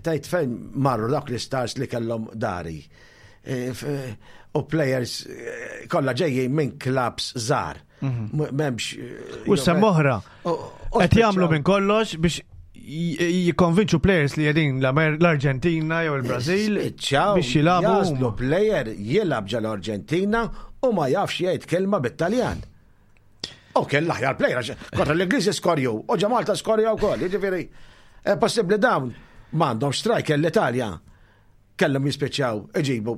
Tajt fejn marru dawk l-istars li kellhom dari. Eh, u players eh, kollha ġejjin minn clubs żgħar. Mhm. M'hemmx. U sem oħra. Qed jagħmlu minn kollox biex jikkonvinċu players li jedin l-Arġentina jew il-Brażil biex jilagħbu. Jaslu player jilgħab ġal Arġentina u ma jafx jgħid kelma bit-Taljan. U kien l-aħjar player, kontra l-Ingliżi skorju, u ġa Malta skorju wkoll, jiġifieri eh, possibbli dawn m'għandhom striker l-Italja. Kellhom jispiċċaw iġibu.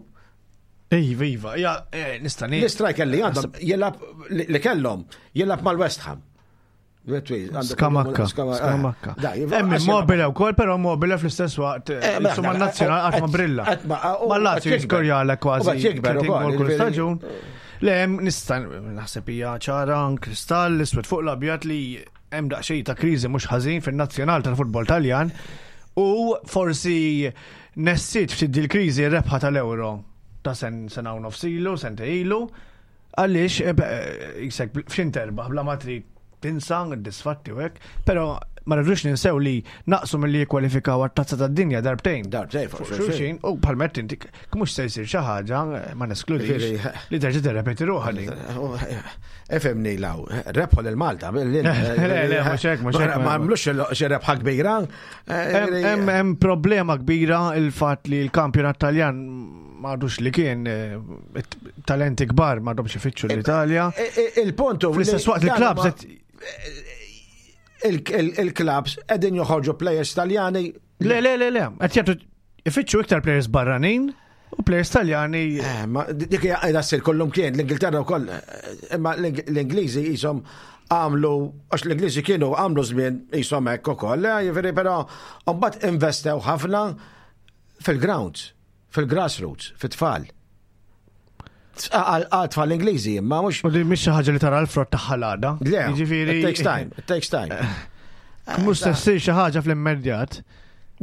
Iva, iva, ja, eh, nista' L-striker li għandhom jilgħab li kellhom jilgħab mal-West Ham. Skamakka, skamakka. Hemm Immobile wkoll, però Immobile fl-istess waqt eh, insomma n-nazzjonal qatt ma brilla. Ma' Lazio jiskorjalek kważi gol kull staġun. Le hemm nista' naħseb hija ċara kristall iswed fuq l-abjad li hemm daqsxejn ta' kriżi mhux ħażin fin-nazzjonal tal-futbol Taljan u forsi nessit ftit dil-kriżi rebħa tal-Euro ta' sen sena u nofs ilu, sentejn ilu, għaliex jisek f'xin terbaħ bla ma trid tinsa d-disfatti u hekk, però ma rridux ninsew li naqsu milli jikkwalifikaw għat-tazza tad-dinja darbtejn. Darbtejn fuq xulxin, u bħalmet inti mhux se jsir xi ħaġa ma neskludix li terġa' tirrepeti ruħha din. Ifhimni law, rebħu lil Malta. Le, le, mhux hekk, mhux hekk. Ma għamlux xi rebħa kbira. Hemm problema kbira il-fatt li l-kampjonat Taljan m'għadux li kien eh, talenti kbar m'għadhomx ifittxu l-Italja. Il-puntu. Fl-istess waqt il-klabs il-klabs qegħdin joħorġu players Taljani. Le, le, le, le, qed jagħtu ifittxu iktar players barranin u players Taljani. Eh, ma dik hija qiegħda ssir kollum kien l-Ingilterra wkoll, imma l-Ingliżi qishom għamlu, għax l-Ingliżi kienu għamlu żmien qishom hekk ukoll, eh, jiġifieri però mbagħad investew ħafna fil-grounds, fil-grassroots, fit-tfal. Għal tfal Ingliżi, imma mhux. U li mhix xi ħaġa li tara l-frott tagħha l-għada. Le, Jiġifieri it takes time, it takes time. Mhux se ssir xi ħaġa fl-immedjat.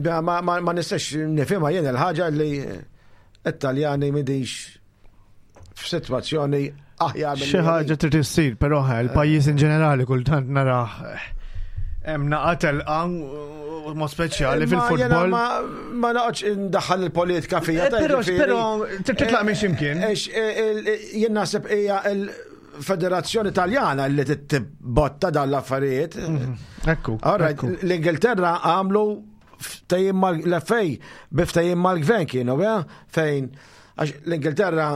Ma, ma, ma, ma nistax nifhimha jien il-ħaġa li it-Taljani m'humiex f'sitwazzjoni aħjar Xi ħaġa trid issir, però eh, il-pajjiż in ġenerali kultant narah hemm naqa telqa mod speċjali fil-futbol. Ma, ma noqgħodx indaħħal il-politika fija. Eh, Però però trid titlaq minn x'imkien. Jien naħseb hija il-Federazzjoni Taljana li tibbotta dan l-affarijiet. Ekku. All right, ekku. l-Ingilterra għamlu ftehim mal-F A bi ftehim mal-gvern kienu, ja? Fejn għax l-Ingilterra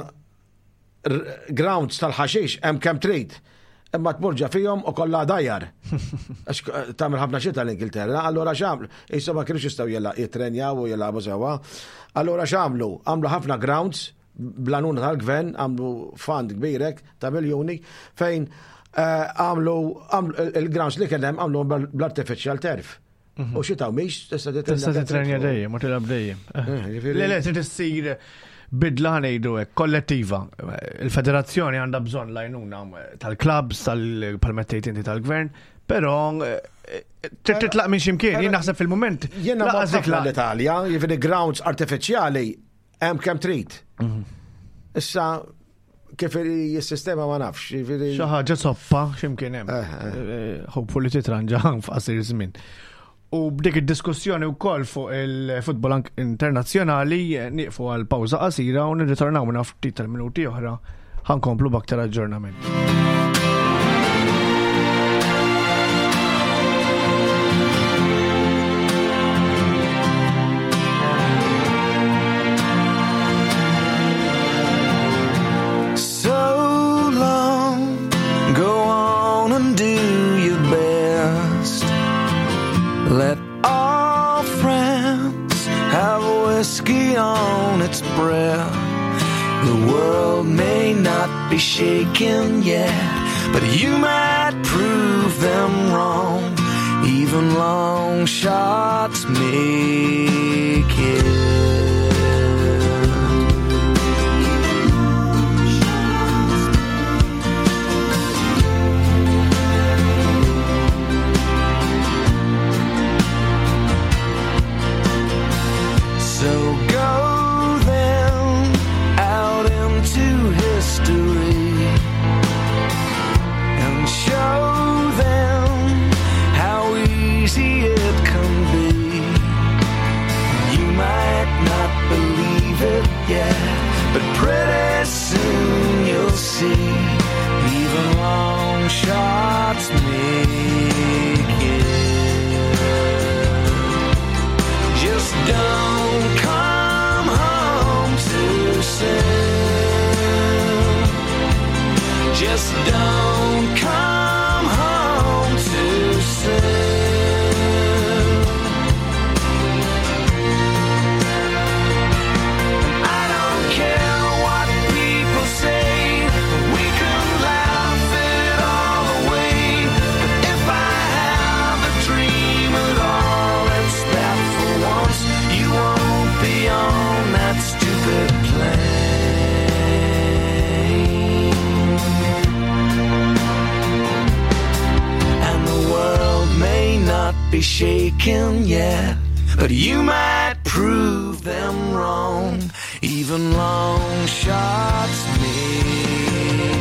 r- grounds tal-ħaxix hemm kemm trid. Imma tmur ġo fihom u kollha dajjar. Għax eh, tagħmel ħafna xita l-Ingilterra, allura x'għamlu? Issa ma kienux jistgħu jela- jitrenjaw u jilagħbu sewwa. Allura x'għamlu? Għamlu ħafna grounds bl-għajnuna tal-gvern, għamlu fund kbirek ta' miljuni fejn eh, għamlu għamlu il-grounds li kien hemm għamlu bl-artificial turf. U xita u mhix tista' Tista' titrenja dejjem u tilgħab dejjem. Eh, jiġifieri- Le, le, trid issir bidla ngħidu hekk kollettiva. Il-federazzjoni għandha bżonn l-għajnuna tal-klabs, tal-palmettejt inti tal-gvern, però eh, trid titlaq minn x'imkien. Jien naħseb fil-mument. Jiena ma laqas dik ħafna la- l-Italja, jiġifieri grounds artificiali hemm kemm trid. Issa kif il-sistema ma nafx, jiġifieri. Xi ħaġa soppa x'imkien hemm. Eh, eh. Eh, Hopefully titranġa f'qasir żmien. U b'dik id-diskussjoni wkoll fuq il-futbol ank- internazzjonali eh, nieqfu għal pawża qasira u nirritornaw minn ftit tal-minuti oħra ħa nkomplu b'aktar aġġornament. So long, go on and do your best. Let all friends have whiskey on its breath. The world may not be shaken yet, but you might prove them wrong. Even long shots make it. So go then out into history and show them how easy it can be. Soon you'll see, even long shots make it. Just don't come home too soon. Just don't come home too soon. I don't care what people say, we can laugh it all away. But if I have a dream at all, it's that for once you won't be on that stupid plane. And the world may not be shaken yet, but you might prove them wrong. Even long shots make it.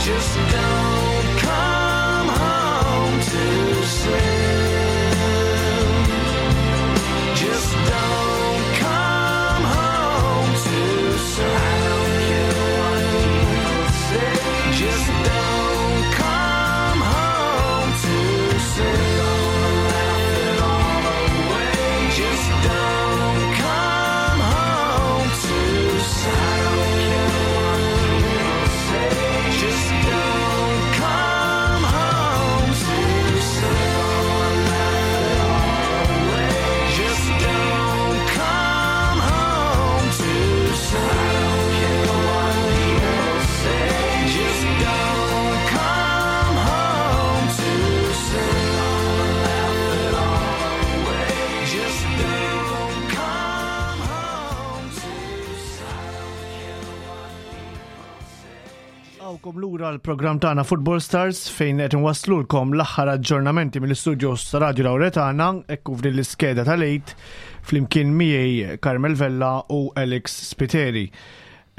Just don't come home too soon. Just don't come home too soon. I don't care what people say. Just don't come home too soon. Laugh it all away. Just don't come home too soon. I don't care what people say. Just don't come home too soon. Laugh it all away. Just don't come home too soon. I don't care what people say. Just don't come home too soon. Laugh it all away. Just don't come home too soon. I don't care what people say. Għawkom lura l-programm tagħna Football Stars fejn qed inwasslulkom l-aħħar aġġornamenti mill-istudios ta' Radio Lauretana ekku f'din l-iskeda tal-Għid flimkien miegħi Carmel Vella u Alex Spiteri.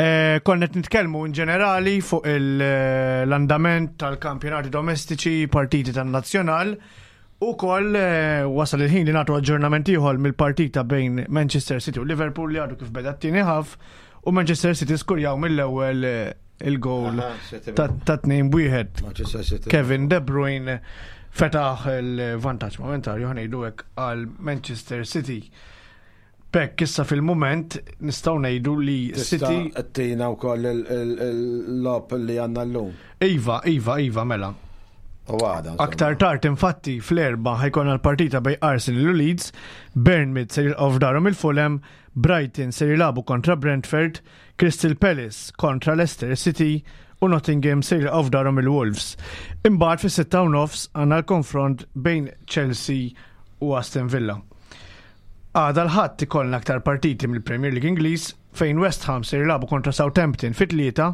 Eh, Konna qed nitkellmu in ġenerali fuq il- l-andament tal-kampjonati domestiċi, partiti tan-nazzjonal u koll eh, wasal il-ħin li nagħtu aġġornament ieħor mill-partita bejn Manchester City u Liverpool li għadu kif beda t-tieni half u Manchester City skurjaw mill-ewwel eh, il-goal Aha, City. ta' ta' tnejn b'wieħed. Manchester City. Kevin De Bruyne fetaħ il-vantaġġ momentarju ħa ngħidu hekk għal Manchester City. Bekk issa fil-moment nistgħu ngħidu li City Tista' tina wkoll il-logħob li għandna llum. Iva, Iva, Iva, mela. U għada. insomma. Aktar tard infatti fl-erba ħa jkollna l-partita bejn Arsenal u Leeds, Bournemouth se jilqgħu f'darhom il-Fulham, Brighton se jilagħbu kontra Brentford, Crystal Palace kontra Leicester City u Nottingham se jilqgħu f'darhom il-Wolves. Imbagħad fis-sitta u nofs għandna l-konfront bejn Chelsea u Aston Villa. Għada l-Ħadd ikollna aktar partiti mill-Premier League Ingliż fejn West Ham se jilagħbu kontra Southampton fit-tlieta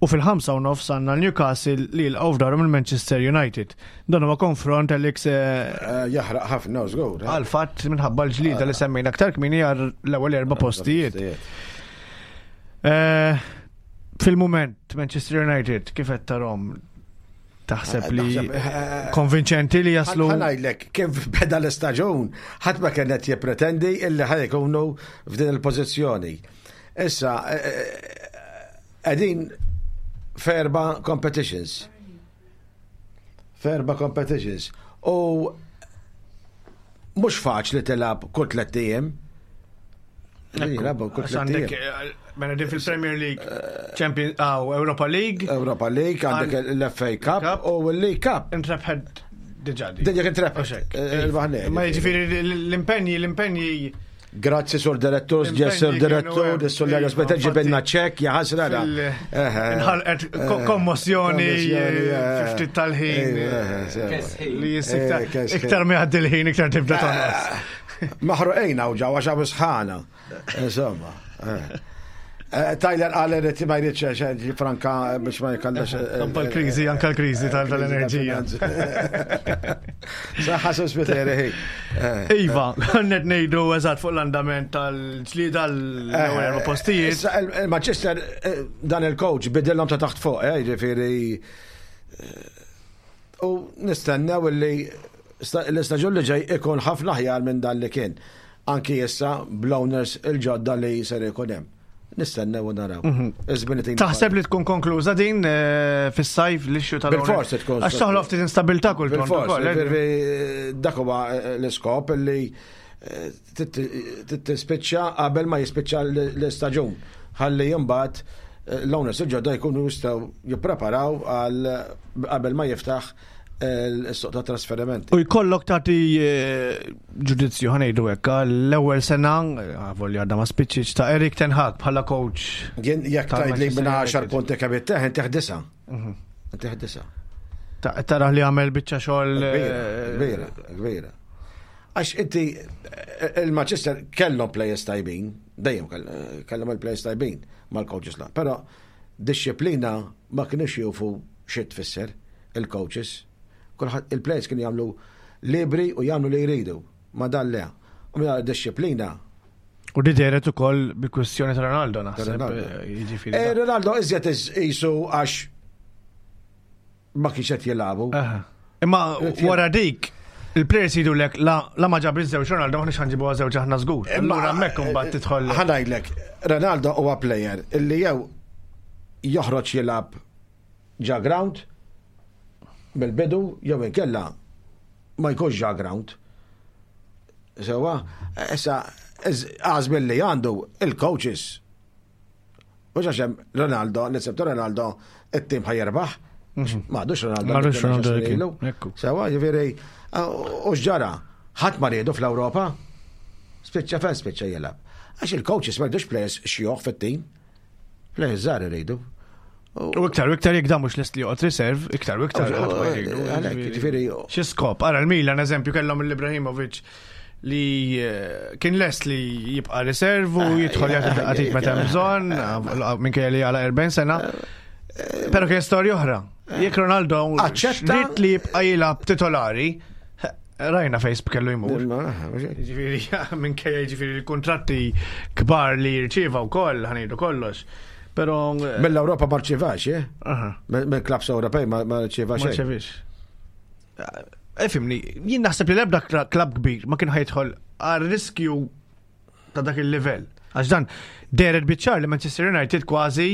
u fil-ħamsa u nofs għandna Newcastle li jilqgħu f'darhom il-Manchester United. Dan huwa konfront Alex eh, Eh, Jaħraq ħafna, żgur. eh. għal fatt minħabba l-ġlida li semmejna aktar kmieni għal l-ewwel erba' postijiet. Eh, Fil-moment Manchester United kif qed tarahom taħseb li Naħseb, eh, konvinċenti li jaslu Ħa ngħidlek, kif beda l-istaġun, ħadd ma kienet jippretendi illi ħa jkunu f'din il-pożizzjoni. Issa, qegħdin f'erba' competitions. F'erba' competitions. U mhux faċli tilgħab kull tliet ijiem. Jilagħbu kull Għax tliet għandek ijiem. eh, mela din fil-Premier League, Champions, aw, Europa League, Europa League, għandek l-F A Cup Cup. u l-League Cup. Intrebħet diġà di. Din jek intrebħet. Oxek. Il-baħne. Ma jiġifieri l-impenji, l-impenji Grazzi sur direttur, L-impenji sur direttur, kienu hemm. sur Leo Iva, Speta ġibilna infatti, ċek, jaħasra. Inħalqet ko- kommossjoni eh, ftit tal-ħin eh, li jissikta iktar ma jgħaddi l-ħin iktar tibda tonqos. Maħruqejna u ġaw għax sħana. Insomma. eh. Eh, Tyler qal irid ma jridx franka biex ma jkallax. Anka l-kriżi, anka l-kriżi tal- tal-enerġija. Saħħa sospiteri. Iva, għannet ngħidu eżatt fuq l-andament tal-ġlida l-ewwel erba' postijiet. Issa, il- il-Manchester eh, dan il-coach bidillhom ta' taħt fuq, eh, jiġifieri eh, u nistennew li sta- l-istaġun li ġej ikun ħafna aħjar minn dan li kien. Anki issa bl-owners il-ġodda li ser ikun hemm. Nistennew u naraw. Iż-żmien itina Taħseb li tkun konkluża din eh, fis-sajf l-issue tal Bil-fors tkun. Għax toħloq ftit instabilità kultant Bil-fors, ukoll, eh? ġifieri, dak huwa eh, l-iskop li eh, tispiċċa qabel ma jispiċċa l-istaġun. Ħalli imbagħad eh, l-owners il-ġodda jkunu jistgħu jippreparaw għal qabel ma jiftaħ il-suq ta' trasferimenti. U jkollok tagħti eh, ġudizzju, ħa ngħidu hekk, l-ewwel sena, volja għadha ma spiċċietx, ta' Erik Ten Hag bħala coach. Jien jekk Tal tgħid li minn Manchester għaxar United. punti kemm ittieħ, intih disa'. Intih disa'. Ta- Tara li għamel biċċa xogħol. Kbira, eh, kbira, kbira. Għax inti il-Manchester kellhom players tajbin, dejjem kell- kellhom il-players tajbin mal-coaches la, però disċiplina ma kienux jufu xi tfisser il-coaches. Kulħadd il-players kienu jagħmlu libri u jagħmlu li jridu, ma dan le. U minn disċiplina. U di dehret ukoll bil-kwestjoni ta' Ronaldo naħseb. Ronaldo. eh, Jiġifieri. Eh, Ronaldo iżjed jisu għax ma kienx qed jilagħbu. Aha. Imma wara dik, il-players jgħidu lek la la ma ġab iż-żewġ Ronaldo, maħniex ħa nġibu żewġ aħna żgur. Allura hemmhekk imbagħad tidħol. Ħa ngħidlek, Ronaldo huwa player illi jew joħroġ jilgħab ġo ground bil-bidu jew inkella ma jkunx ġo ground. Sewa, issa għażbil li għandu il-coaches. Mhux għax hemm Ronaldo, l Ronaldo, it-tim ħa jirbaħ. Ma għadux Ronaldo. Ma għadux li kien Ronaldo għaxar li kien, ilu. ekku. Sewa, ġifieri, u x'ġara, ħadd ma riedu fl-Ewropa, spiċċa fejn spiċċa jilgħab. Għax il-coaches ma jridux players xjuħ fit-tim. Players żgħar iridu. U iktar u iktar jekk dan mhux lest li joqgħod reserve, iktar u iktar ħadd ma jridu. Għalhekk, ġifieri, Xi skop, ara l-Milan eżempju kellhom l-Ibrahimovic li eh, kien lest li jibqa' reserve u jidħol jagħti daqqa t'id meta hemm bżonn, minkejja li għala erbgħin sena. Però kien storja oħra. Jekk Ronaldo Aċċetta- ried li jibqa' jilgħab titolari, rajna fejn kellu jmur. Ġifieri, minkejja ġifieri l-kontratti kbar li jirċieva wkoll, ħa ngħidu kollox. Però eh, Mill-Ewropa ma rċivax, eh? aha. Mill-klabs Ewropej ma ma rċiva Ma xejn. rċevix. Ifhimni, jien naħseb li l-ebda klab kbir ma kien ħa jidħol għal riskju ta' dak il-livell. Għax dan dehret biċ-ċar li Manchester United kważi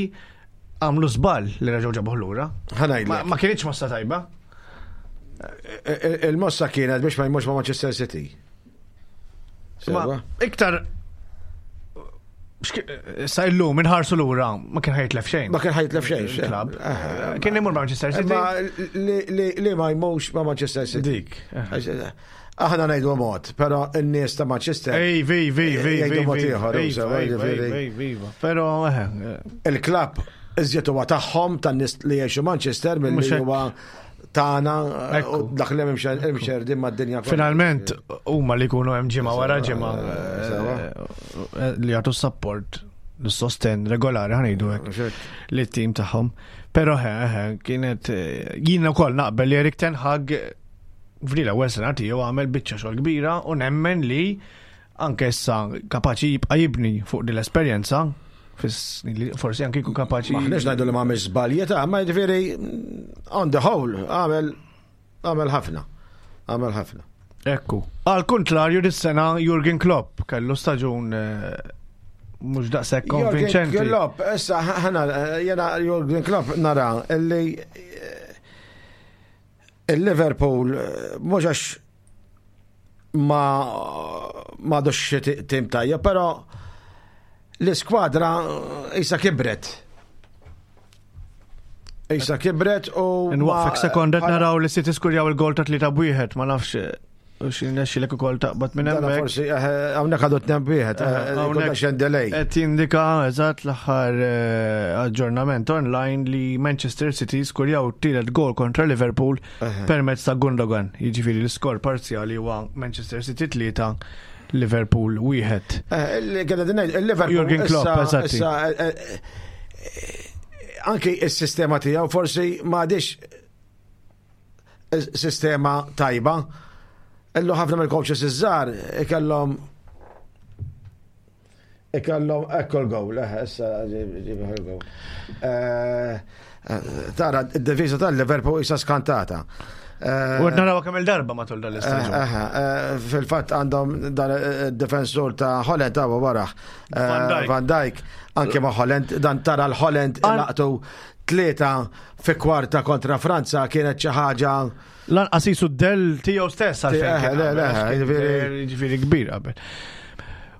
għamlu żball li reġgħu ġabuh lura. Ħa Ma, ngħidlek. ma kienx mossa tajba. Il-mossa kienet biex ma jmurx ma' Manchester City. Ma Sewa? iktar x'ki- sa illum inħarsu lura ma kien ħa jitlef xejn. Ma kien ħa jitlef xejn. xejn. Klab. Eh, Kien imur ma' Manchester City. Ma li- li li ma jmurx ma' Manchester City. Dik. Għax, Aħna ngħidu mod, però n-nies ta' Manchester Ej, vi, vi, vi, Jgħidu vi, mod vi, ieħor, vi, sewa, vi, ġifieri. vi, vi, vi. Però, eh, eh, Il-klab iżjed huwa tagħhom tan-nies li jgħixu Manchester milli Mhux hekk. huwa tagħna Ekku. u dak li hemm imxerdin mad-dinja kollha. Finalment, huma li jkunu hemm ġimgħa wara ġimgħa Sewa. eh, li jagħtu support l-sosten regolari, ħa ngħidu hekk Mhux hekk. li t-tim tagħhom. Però he, he, kienet eh, jien ukoll naqbel li Erik Ten Hag f'din l-ewwel sena tiegħu għamel biċċa xogħol kbira u nemmen li anke issa kapaċi jibqa' jibni fuq din l-esperjenza fis-snin li forsi anke jkun kapaċi. Maħniex ngħidu li ma għamilx żbalji ta' ma jiġifieri on the whole għamel għamel ħafna. Għamel ħafna. Ekku. Għal kontrarju dis-sena Jurgen Klopp kellu staġun eh, mhux daqshekk konvinċenti. Jurgen Klopp, issa ħana jena Jurgen Klopp nara illi eh, il-Liverpool eh, mhux għax ma ma għadux xi tim tajjeb, però l-iskwadra issa kibret. Issa kibret u. Nwaqfek ma- sekonda qed naraw li City skurjaw il-gol ta' tlieta b'wieħed, ma nafx eh, u x'irnexxilek ukoll taqbad minn Dana hemmhekk. forsi, eh, hawnhekk għadu tnejn b'wieħed, Eh, hawnhekk xejn delay. Qed jindika eżatt l-aħħar eh, aġġornament online li Manchester City skurjaw tielet gol kontra Liverpool permezz ta' Gundogan. Jiġifieri l-iskor parzjali huwa Manchester City tlieta, Liverpool wieħed. Eh, il- kena din ngħid, il-Liverpool Jurgen Klopp, issa- eżatti. issa, eh, eh, Anki il-sistema tiegħu forsi ma għadix sistema tajba. Illu ħafna mill-coaches iż-żgħar ikellhom ikellhom ekku l-gowl, eh, issa ġib il-gowl. Eh, eh, Tara, id-difiża tal-Liverpool issa skantata. Eh, U qed naraw kemm il-darba matul dan l-istaġun. Eh, eh, Fil-fatt għandhom dan id-difensur ta' Holland ta' waraħ. Van Dijk. Van Dijk, anke ma' Holland, dan tara l-Holland An- laqtu tlieta fi kwarta kontra Franza kienet xi ħaġa Lanqas jisu d-del tiegħu stess għalfejn. Eh, kien le, qabel, le, għax kien jiġifieri- Jiġifieri kbir qabel.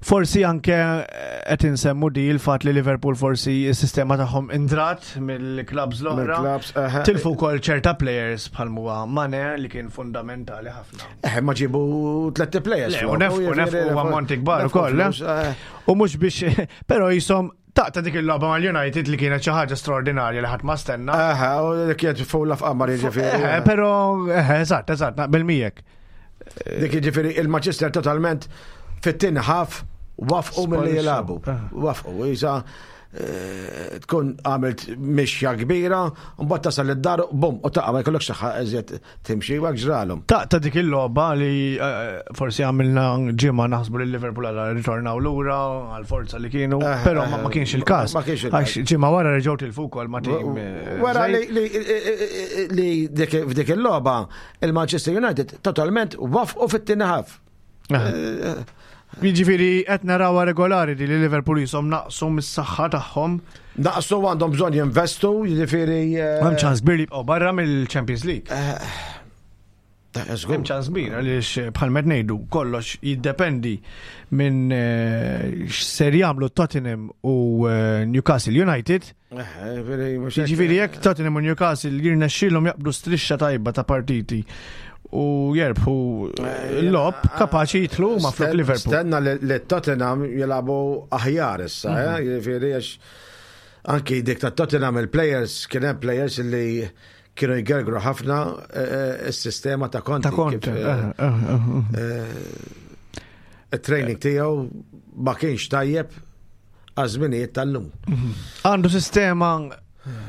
Forsi anke eh, qed insemmu di il-fatt li Liverpool forsi s-sistema tagħhom indrat mill-klabs l-oħra. Mill-clubs, eh, Tilfu wkoll ċerta players bħal huwa Mane li kien fundamentali ħafna. Eh, ma ġibu tletti players. Le, flok, u nefqu, jiġifieri nefqu nefqu- ammonti kbar nefqu ukoll, eh? flus, eh. U mhux biex, però jisom taqta dik il-logħba mal-United li kienet xi ħaġa straordinarja li ħadd ma stenna. Aha, u dik kienet fulla f'qamar jiġifieri. Eh, Però, eh, eżatt, eżatt, naqbel miegħek. Dik jiġifieri il-Manchester totalment fit-tieni half wafqu milli Sparixxu. jilagħbu. Ah. Wafqu, jisa eh, tkun għamilt mixja kbira, mbagħad tasal id-dar, bum, u taqa' ma jkollokx saħħa eżjed timxi u hekk ġralhom. Taqta dik il-logħba li eh, forsi għamilna ġimgħa naħsbu li Liverpool għal ritornaw lura għal forza li kienu, Eh, però eh, ma ma kienx il-każ. ma kienx il-każ. Għax ġimgħa wara reġgħu tilfu wkoll ma tim. eh, Wara żgħir. li li- li dik- f'dik il-logħba il-Manchester United totalment wafqu fit-tieni half. Eh. Jiġifieri qed narawha regolari di li Liverpool jisom naqsu mis-saħħa tagħhom. Naqsu għandhom bżonn jinvestu, jiġifieri. eh, Hemm ċans kbir li jibqgħu barra mill-Champions League. eh, żgur. Hemm ċans kbir għaliex bħal med ngħidu kollox jiddependi minn eh, x'ser jagħmlu Tottenham u eh, Newcastle United. Eh, jiġifieri mhux hekk. Jiġifieri jekk Tottenham u Newcastle jirnexxielhom jaqbdu strixxa tajba ta' partiti u jerbħu l-lob kapaċi jitlu ma flok Sten- Liverpool. Stenna li li Tottenham jilagħbu aħjar issa, Mhm. eh, jiġifieri għax anki dik ta' Tottenham il-players kien hemm players li kienu jgergru ħafna eh, eh, is-sistema ta' Conte. Ta' Conte. kif, eh, eh, eh, eh. Il-training tiegħu ma kienx tajjeb għaż-żminijiet tal-lum. Għandu sistema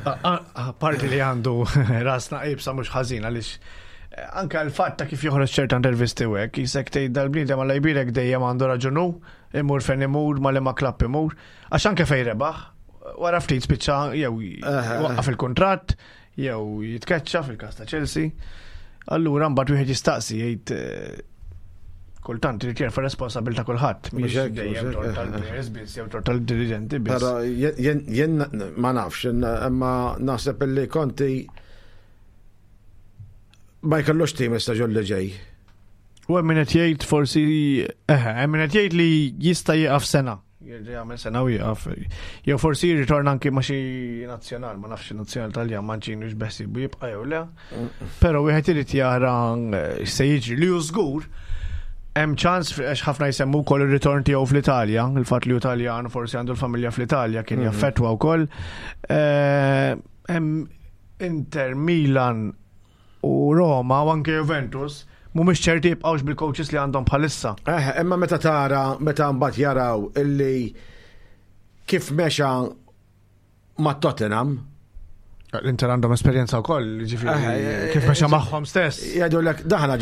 a- a- a- parti li għandu rasna ibsa mhux ħażin għaliex eh, anke l-fatt ta' kif joħroġ ċerta intervisti u hekk, jisek tgħid dal-bniedem għal jbirek dejjem għandu raġunu, imur fejn imur, ma li ma klapp imur, għax anke fejn rebaħ, wara ftit spiċċa jew waqqaf il-kuntratt, jew jitkeċċa fil-każ ta' Chelsea. Allura mbagħad wieħed jistaqsi jgħid eh, kultant irid jerfa' responsabilità kulħadd, Mhux mhix hekk, dejjem mhux hekk, tort eh, tal-players biss jew tort tal-dirigenti biss. Però jien- jien jien ma nafx, imma naħseb illi Conte ma jkollux tim istaġun li ġej. U hemm min qed jgħid forsi eħe, hemm min qed jgħid li jista' jieqaf sena. Jerġa' jagħmel sena u jieqaf. Jew forsi jirritorna anki ma' xi nazzjonal, ma nafx nazzjonal Taljan Mancini x'beħsibu jibqa' jew le. Però wieħed irid jara eh, x'se jiġri li hu żgur hemm ċans għax ħafna jsemmu wkoll ir-ritorn tiegħu fl-Italja, il-fatt li hu Taljan forsi għandu l-familja fl-Italja kien jaffettwa wkoll. Eh, Hemm Inter, Milan u Roma u anke Juventus mhumiex ċerti jibqgħux bil-coaches li għandhom bħalissa. Eh, imma meta tara, meta mbagħad jaraw illi kif mexa ma' Tottenham, L-Inter għandhom esperjenza wkoll, ġifieri Eh, eh, kif mexa eh, magħhom stess. jgħidu lek daħna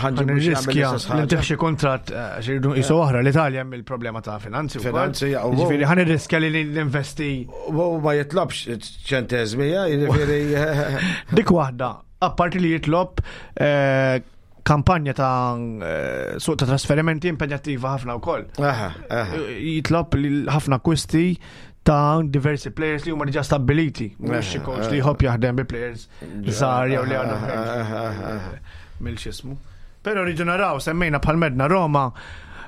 ħanġibu Riskja li xi kuntratt eh, għax irridu jisu oħra l-Italja hemm il-problema ta' finanzi wkoll. Finanzi, ja, u- Ġifieri ħan irriskja li ninvesti U ma jitlobx ċentezmi, eh, jiġifieri Dik waħda, apparti li jitlob eh, kampanja ta' eh, suq ta' trasferimenti impenjattiva ħafna wkoll. Aha, aha. Jitlob li ħafna akwisti ta' diversi players li huma diġà stabbiliti. Mhux xi coach li jħobb jaħdem bi players żgħar jew li għadhom mill-xismu. Però rridu naraw, semmejna bħal medna Roma,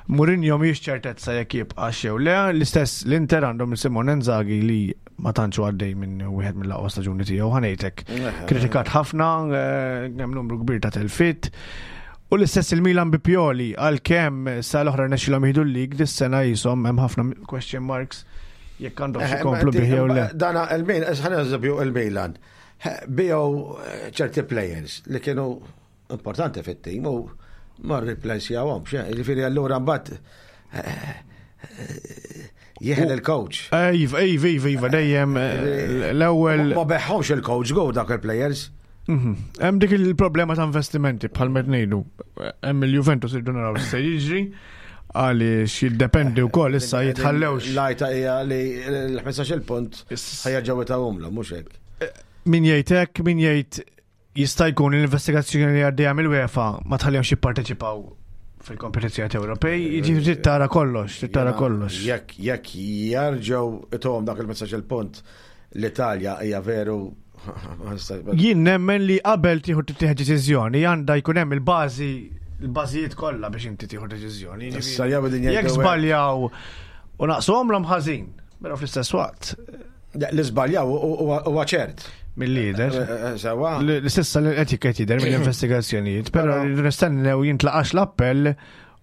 Mourinho mhijiex ċertezza jekk jibqa' jew le, l-istess l-Inter għandhom il-Simone Inzaghi li ma tantx hu għaddej minn wieħed mill-aqwa staġuni tiegħu ħanejtek. Kritikat ħafna, eh, hemm numru kbir ta' telfit. U l-istess il-Milan bi Pioli għalkemm sa l-oħra nexxilhom jieħdu l-lig dis-sena jisom hemm ħafna question marks jekk għandhom xi jkomplu bih jew le. Dana il-Milan, ħana eżempju il-Milan. Bijow eh, ċerti players li kienu importanti fit-tim u ma replace-jawhomx, eh, jiġifieri allura mbagħad eh, eh, jeħel il-coach. Iva, iva, iva, iva, dejjem eh, l-ewwel. Ma beħħomx il-coach go dak il-players. Mhm. Hemm dik il-problema ta' investimenti bħal met ngħidu. Hemm il-Juventus irdu naraw se jiġri għaliex jiddependi wkoll issa jitħallewx. Lajta hija li l-ħmistax il punt ħajerġgħu itawhomlhom mhux hekk. Min jgħid hekk, min jgħid Jista' jkun l-investigazzjoni li għaddejja mill-UEFA ma tħallihomx jipparteċipaw fil-kompetizzjoni Ewropej, jiġifieri trid tara kollox, trid tara kollox. Jekk jekk jarġgħu ituhom dak il-messaġġ, il-punt l-Italja hija veru ma nista- Jien nemmen li qabel tieħu tittieħed deċiżjoni għandha jkun hemm il-bażi, il-bażijiet kollha biex inti tieħu deċiżjoni. Issa jew din Jekk jgħidu żbaljaw u naqsuhomlhom, ħażin, però fl-istess waqt li żbaljaw huwa ċert. Mill-lider. Eh, eh, Sewa. L-istessa li qed qed jidher mill-investigazzjonijiet, però Però- nistennew jintlaqax l-appell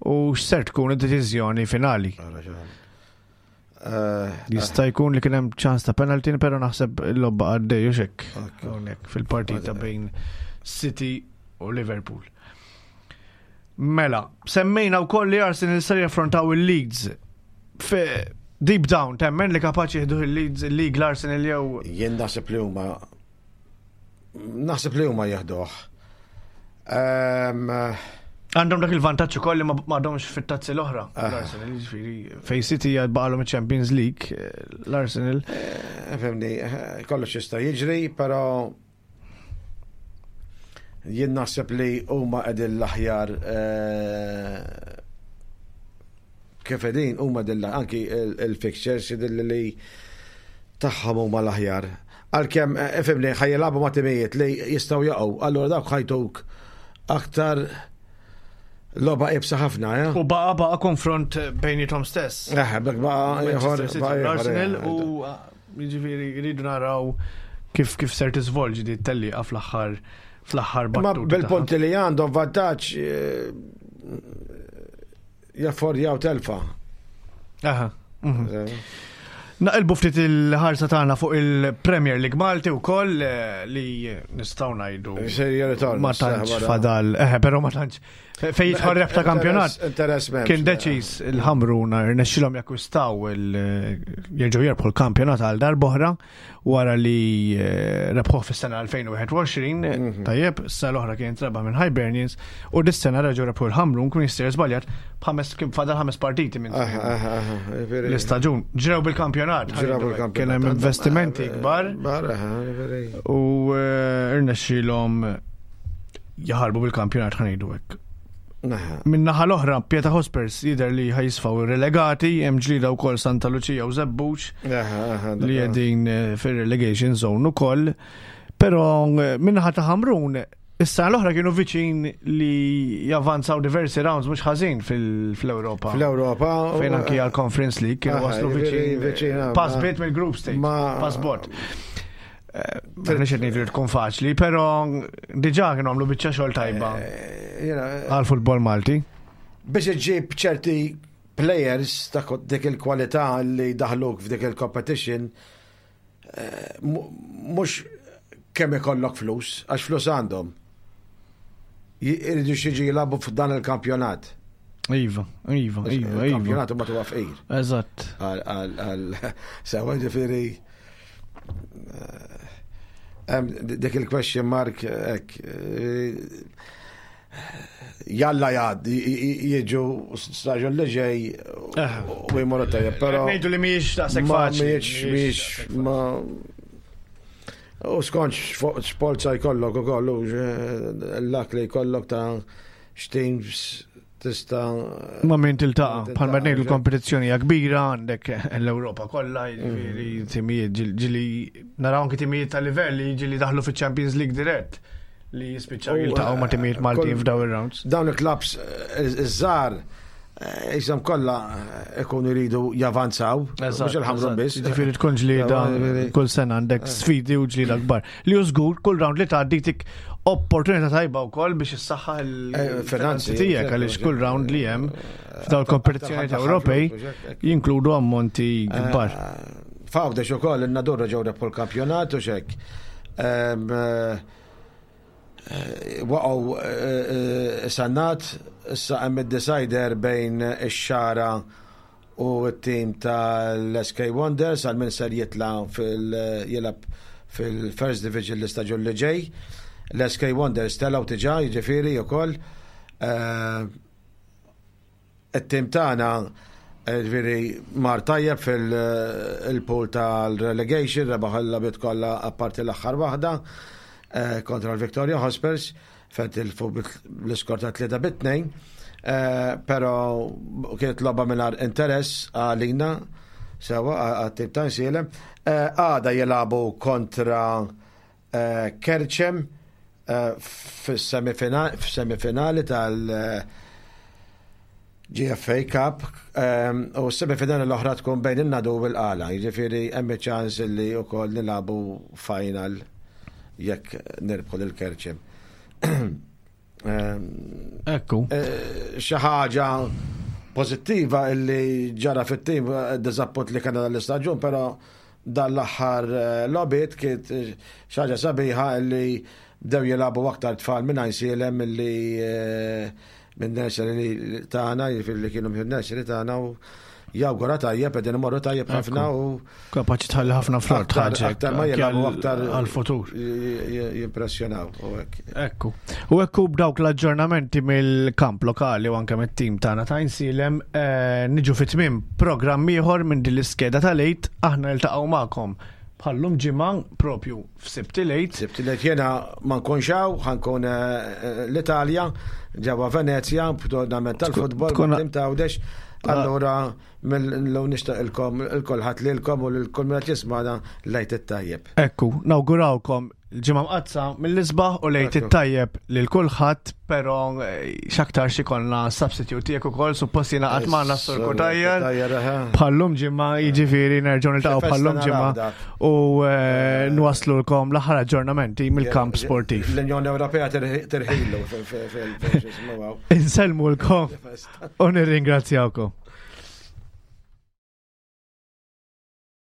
u x'ser tkun id-deċiżjoni finali. Eh, Jista' jkun li kien hemm ċans ta' penalty, però naħseb il-logħba għaddej u xek. Hawnhekk fil-partita bejn City u Liverpool. Mela, semmejna wkoll li Arsenal ser jaffrontaw il-Leeds. Fe- Deep down, temmen li kapaċi jieħdu il-Leeds, il-League l-Arsenal jew? Jien naħseb li huma naħseb li huma jeħduh. Ehm, Għandhom dak il-vantaġġ ukoll li ma m'għadhomx fit-tazzi l-oħra. Ah. L-Arsenal, jiġifieri fej City baqalhom il-Champions League, eh, l-Arsenal. eh, Fhimni, eh, kollox jista' jiġri, però jien naħseb li huma qegħdin l-aħjar eh, kif qegħdin huma qegħdin anki il- il-fixtures jidhirli li tagħhom huma l-aħjar. Għalkemm eh, fhimni, ħa jilagħbu ma' timijiet li jistgħu jaqgħu, allura dawk ħa jtuk aktar logħba iebsa ħafna, ja? U baqa baqa konfront bejnietom stess. Eh, bek baqa ieħor, Manchester City baqa u ieħor, l-Arsenal eh, u ah, jiġifieri rridu naraw kif kif ser tiżvolġi di tellieqa fl-aħħar fl-aħħar Ma battuta. bil-punti li għandhom vantaġġ eh, jaffordjaw telfa. Aha. mhm. Naqilbu ftit il-ħarsa tagħna fuq il-Premier League Malti wkoll eh, li nistgħu ngħidu Ser jirritorna. ma tantx fadal, eh, però ma tantx fej jidħol rebħ ta' kampjonat. Interess m'hemmx. Kien deċiż il-Ħamrun, rnexxilhom jakkwistaw il jerġgħu jerbħu l-kampjonat għal darb'oħra wara li eh, rebħuh fis-sena elfejn u wieħed u għoxrin, Mhm. tajjeb, s-sena l-oħra kien rebaħ minn Hibernians u dis-sena reġgħu rebħu l-Ħamrun, kun jista' żbaljat, b'ħames, kien fadal ħames partiti minn Aha, aha, aha, jiġifieri- l-istaġun. Ġrew bil-kampjonat. Ġrew bil-kampjonat. Kien hemm investimenti kbar Kbar, aha, jiġifieri. u eh, irnexxilhom jaħarbu bil-kampjonat, ħa ngħidu hekk. Aha. Min naħa l-oħra, Pieta Hotspurs jidher li ħa jisfaw relegati, hemm ġlida wkoll Santa Lucia u Żebbuġ Aha, aha, li dak- qegħdin eh, fir-relegation zone ukoll. Però eh, min naħa ta' Ħamrun, issa l-oħra kienu viċin li javanzaw diversi rounds mhux ħażin fil- fl-Ewropa. Fl-Ewropa. Fejn anki għal Conference League kienu Aha, waslu jiġifieri viċin. viċin, ah, Pass ma- bit mill-group stage. ma- Pass bot. Maħniex qed ngħidu li tkun faċli, però diġà kienu għamlu biċċa xogħol tajba Eh, jiena, għal futbol Malti. Biex iġib ċerti players ta' ko- dik il-kwalità li daħluk f'dik il-competition, eh, mu- mhux kemm ikollok flus, għax flus għandhom. Iridu xiġi jilagħbu f'dan il-kampjonat. Iva, iva, iva, iva. Il-kampjonat huma tuwa fqir. Eżatt. Għal, għal, għal, sewa, ġifieri, eh, hemm dik il-question mark ek, eh, jalla jad, jiġu staġun li ġej u jmorru tajjeb, però Ngħidu li mhijiex daqshekk ma faċli. mhijiex, mhijiex, ma u skont x'polza jkollok u kollu, l-lak li jkollok ta' x'teams tista' Ma min tiltaqa', bħalma ngħidu, Tiltaqa', l-kompetizzjoni hija kbira, għandek l-Ewropa kollha, jiġifieri timijiet ġil- ġili naraw anke timijiet ta' livell li ġili daħlu fiċ-Champions League dirett li jispiċċaw U, jiltaqgħu ma' timijiet eh, Maltin kull- f'daw ir-rounds. Dawn il-klabs iż-żgħar jisimhom kollha ikunu jridu javanzaw, mhux il-Ħamrun biss. Ġifieri tkun ġlieda Ġifieri- kull sena, għandek sfidi u ġlieda kbar. Li hu żgur kull round li tgħaddi tik opportunità tajba wkoll biex issaħħaħ Eh, finanzi, il-finanzi tiegħek, għaliex kull round li hemm f'dawn il-kompetizzjonijiet Ewropej jinkludu ammonti kbar. F'Għawdex ukoll in-Nadur ġew rebħu l-kampjonat u xek. Em, eh, eh, Waqgħu eh, eh, Sannat, issa hemm id-decider bejn ix-Xagħra u t-tim tal-S K Wonders għal min ser jitla fil jilgħab fil-First Division l-istaġun li ġej. L-S K Wonders telgħu diġà, jiġifieri ukoll. Eh, it-tim tagħna eh, ġifieri mar tajjeb fil-pool tal-relegation, rebaħ il-logħbiet kollha apparti l-aħħar waħda. eh, kontra l-Victoria Hotspurs fejn tilfu bl-iskor ta' tlieta bi tnejn, eh, però kienet logħba mingħajr interess għalina sewa għat-tim ta' Għajnsielem. Eh, Għada jilagħbu kontra eh, Kerċem eh, fis-semifinali tal- G F A Cup um, u s-semifinali l-oħra tkun bejn in-Nadur u l-Qala, jiġifieri hemm ċans li wkoll nilagħbu final jekk nirbħu lil Kerċem. Um, Ekku. eh, Xi ħaġa pożittiva illi ġara fit-tim, eh, diżappunt li kellna l-istaġun, però dan l-aħħar eh, logħbiet kienet eh, xi ħaġa sabiħa illi bdew jilagħbu aktar tfal minn Għajnsielem illi eh, minn nursery tagħna, jiġifieri li kienu minn nursery tagħna u jawgura tajjeb, qegħdin imorru tajjeb ħafna u Kapaċi tħalli ħafna frott aktar ħaġa aktar ma jilagħbu aktar għal-futur. j- j- jimpressjonaw u hekk. Ekku. U ekku b'dawk l-aġġornamenti mill-kamp lokali u anke mit-tim tagħna ta' Għajnsielem, eh, niġu fi tmiem programm ieħor minn din l-iskeda tal-Għid. Aħna niltaqgħu magħkom bħallum ġimgħa propju f'Sibt il-Għid. Sibt li jiena ma nkunx hawn, ħa nkun eh, l-Italja, ġewwa Venezja, b'tournament tal-futbol, tkun- tim ta' Għawdex. Allura, mill-lum nixtieqilkom il-kulħadd lilkom u lil kull min qed jismagħna l-Għid it-tajjeb. Ekku, nawgurawkom il-Ġimgħa Mqaddsa mill-isbaħ u l-Għid Ekku. it-tajjeb lil kulħadd, però eh, x'aktar ikollna substitute tiegħek ukoll, suppost jingħaqad magħna s-Sur Cutajar. Bħallum ġimgħa, jiġifieri nerġgħu niltaqgħu Xi festa bħallum ġimgħa naraw dak. u eh, nwaslulkom l-aħħar aġġornamenti mill-kamp sportiv. L-Unjoni Ewropea tirħilu fil-xismu. Insellmulkom u nirringrazzjawkom.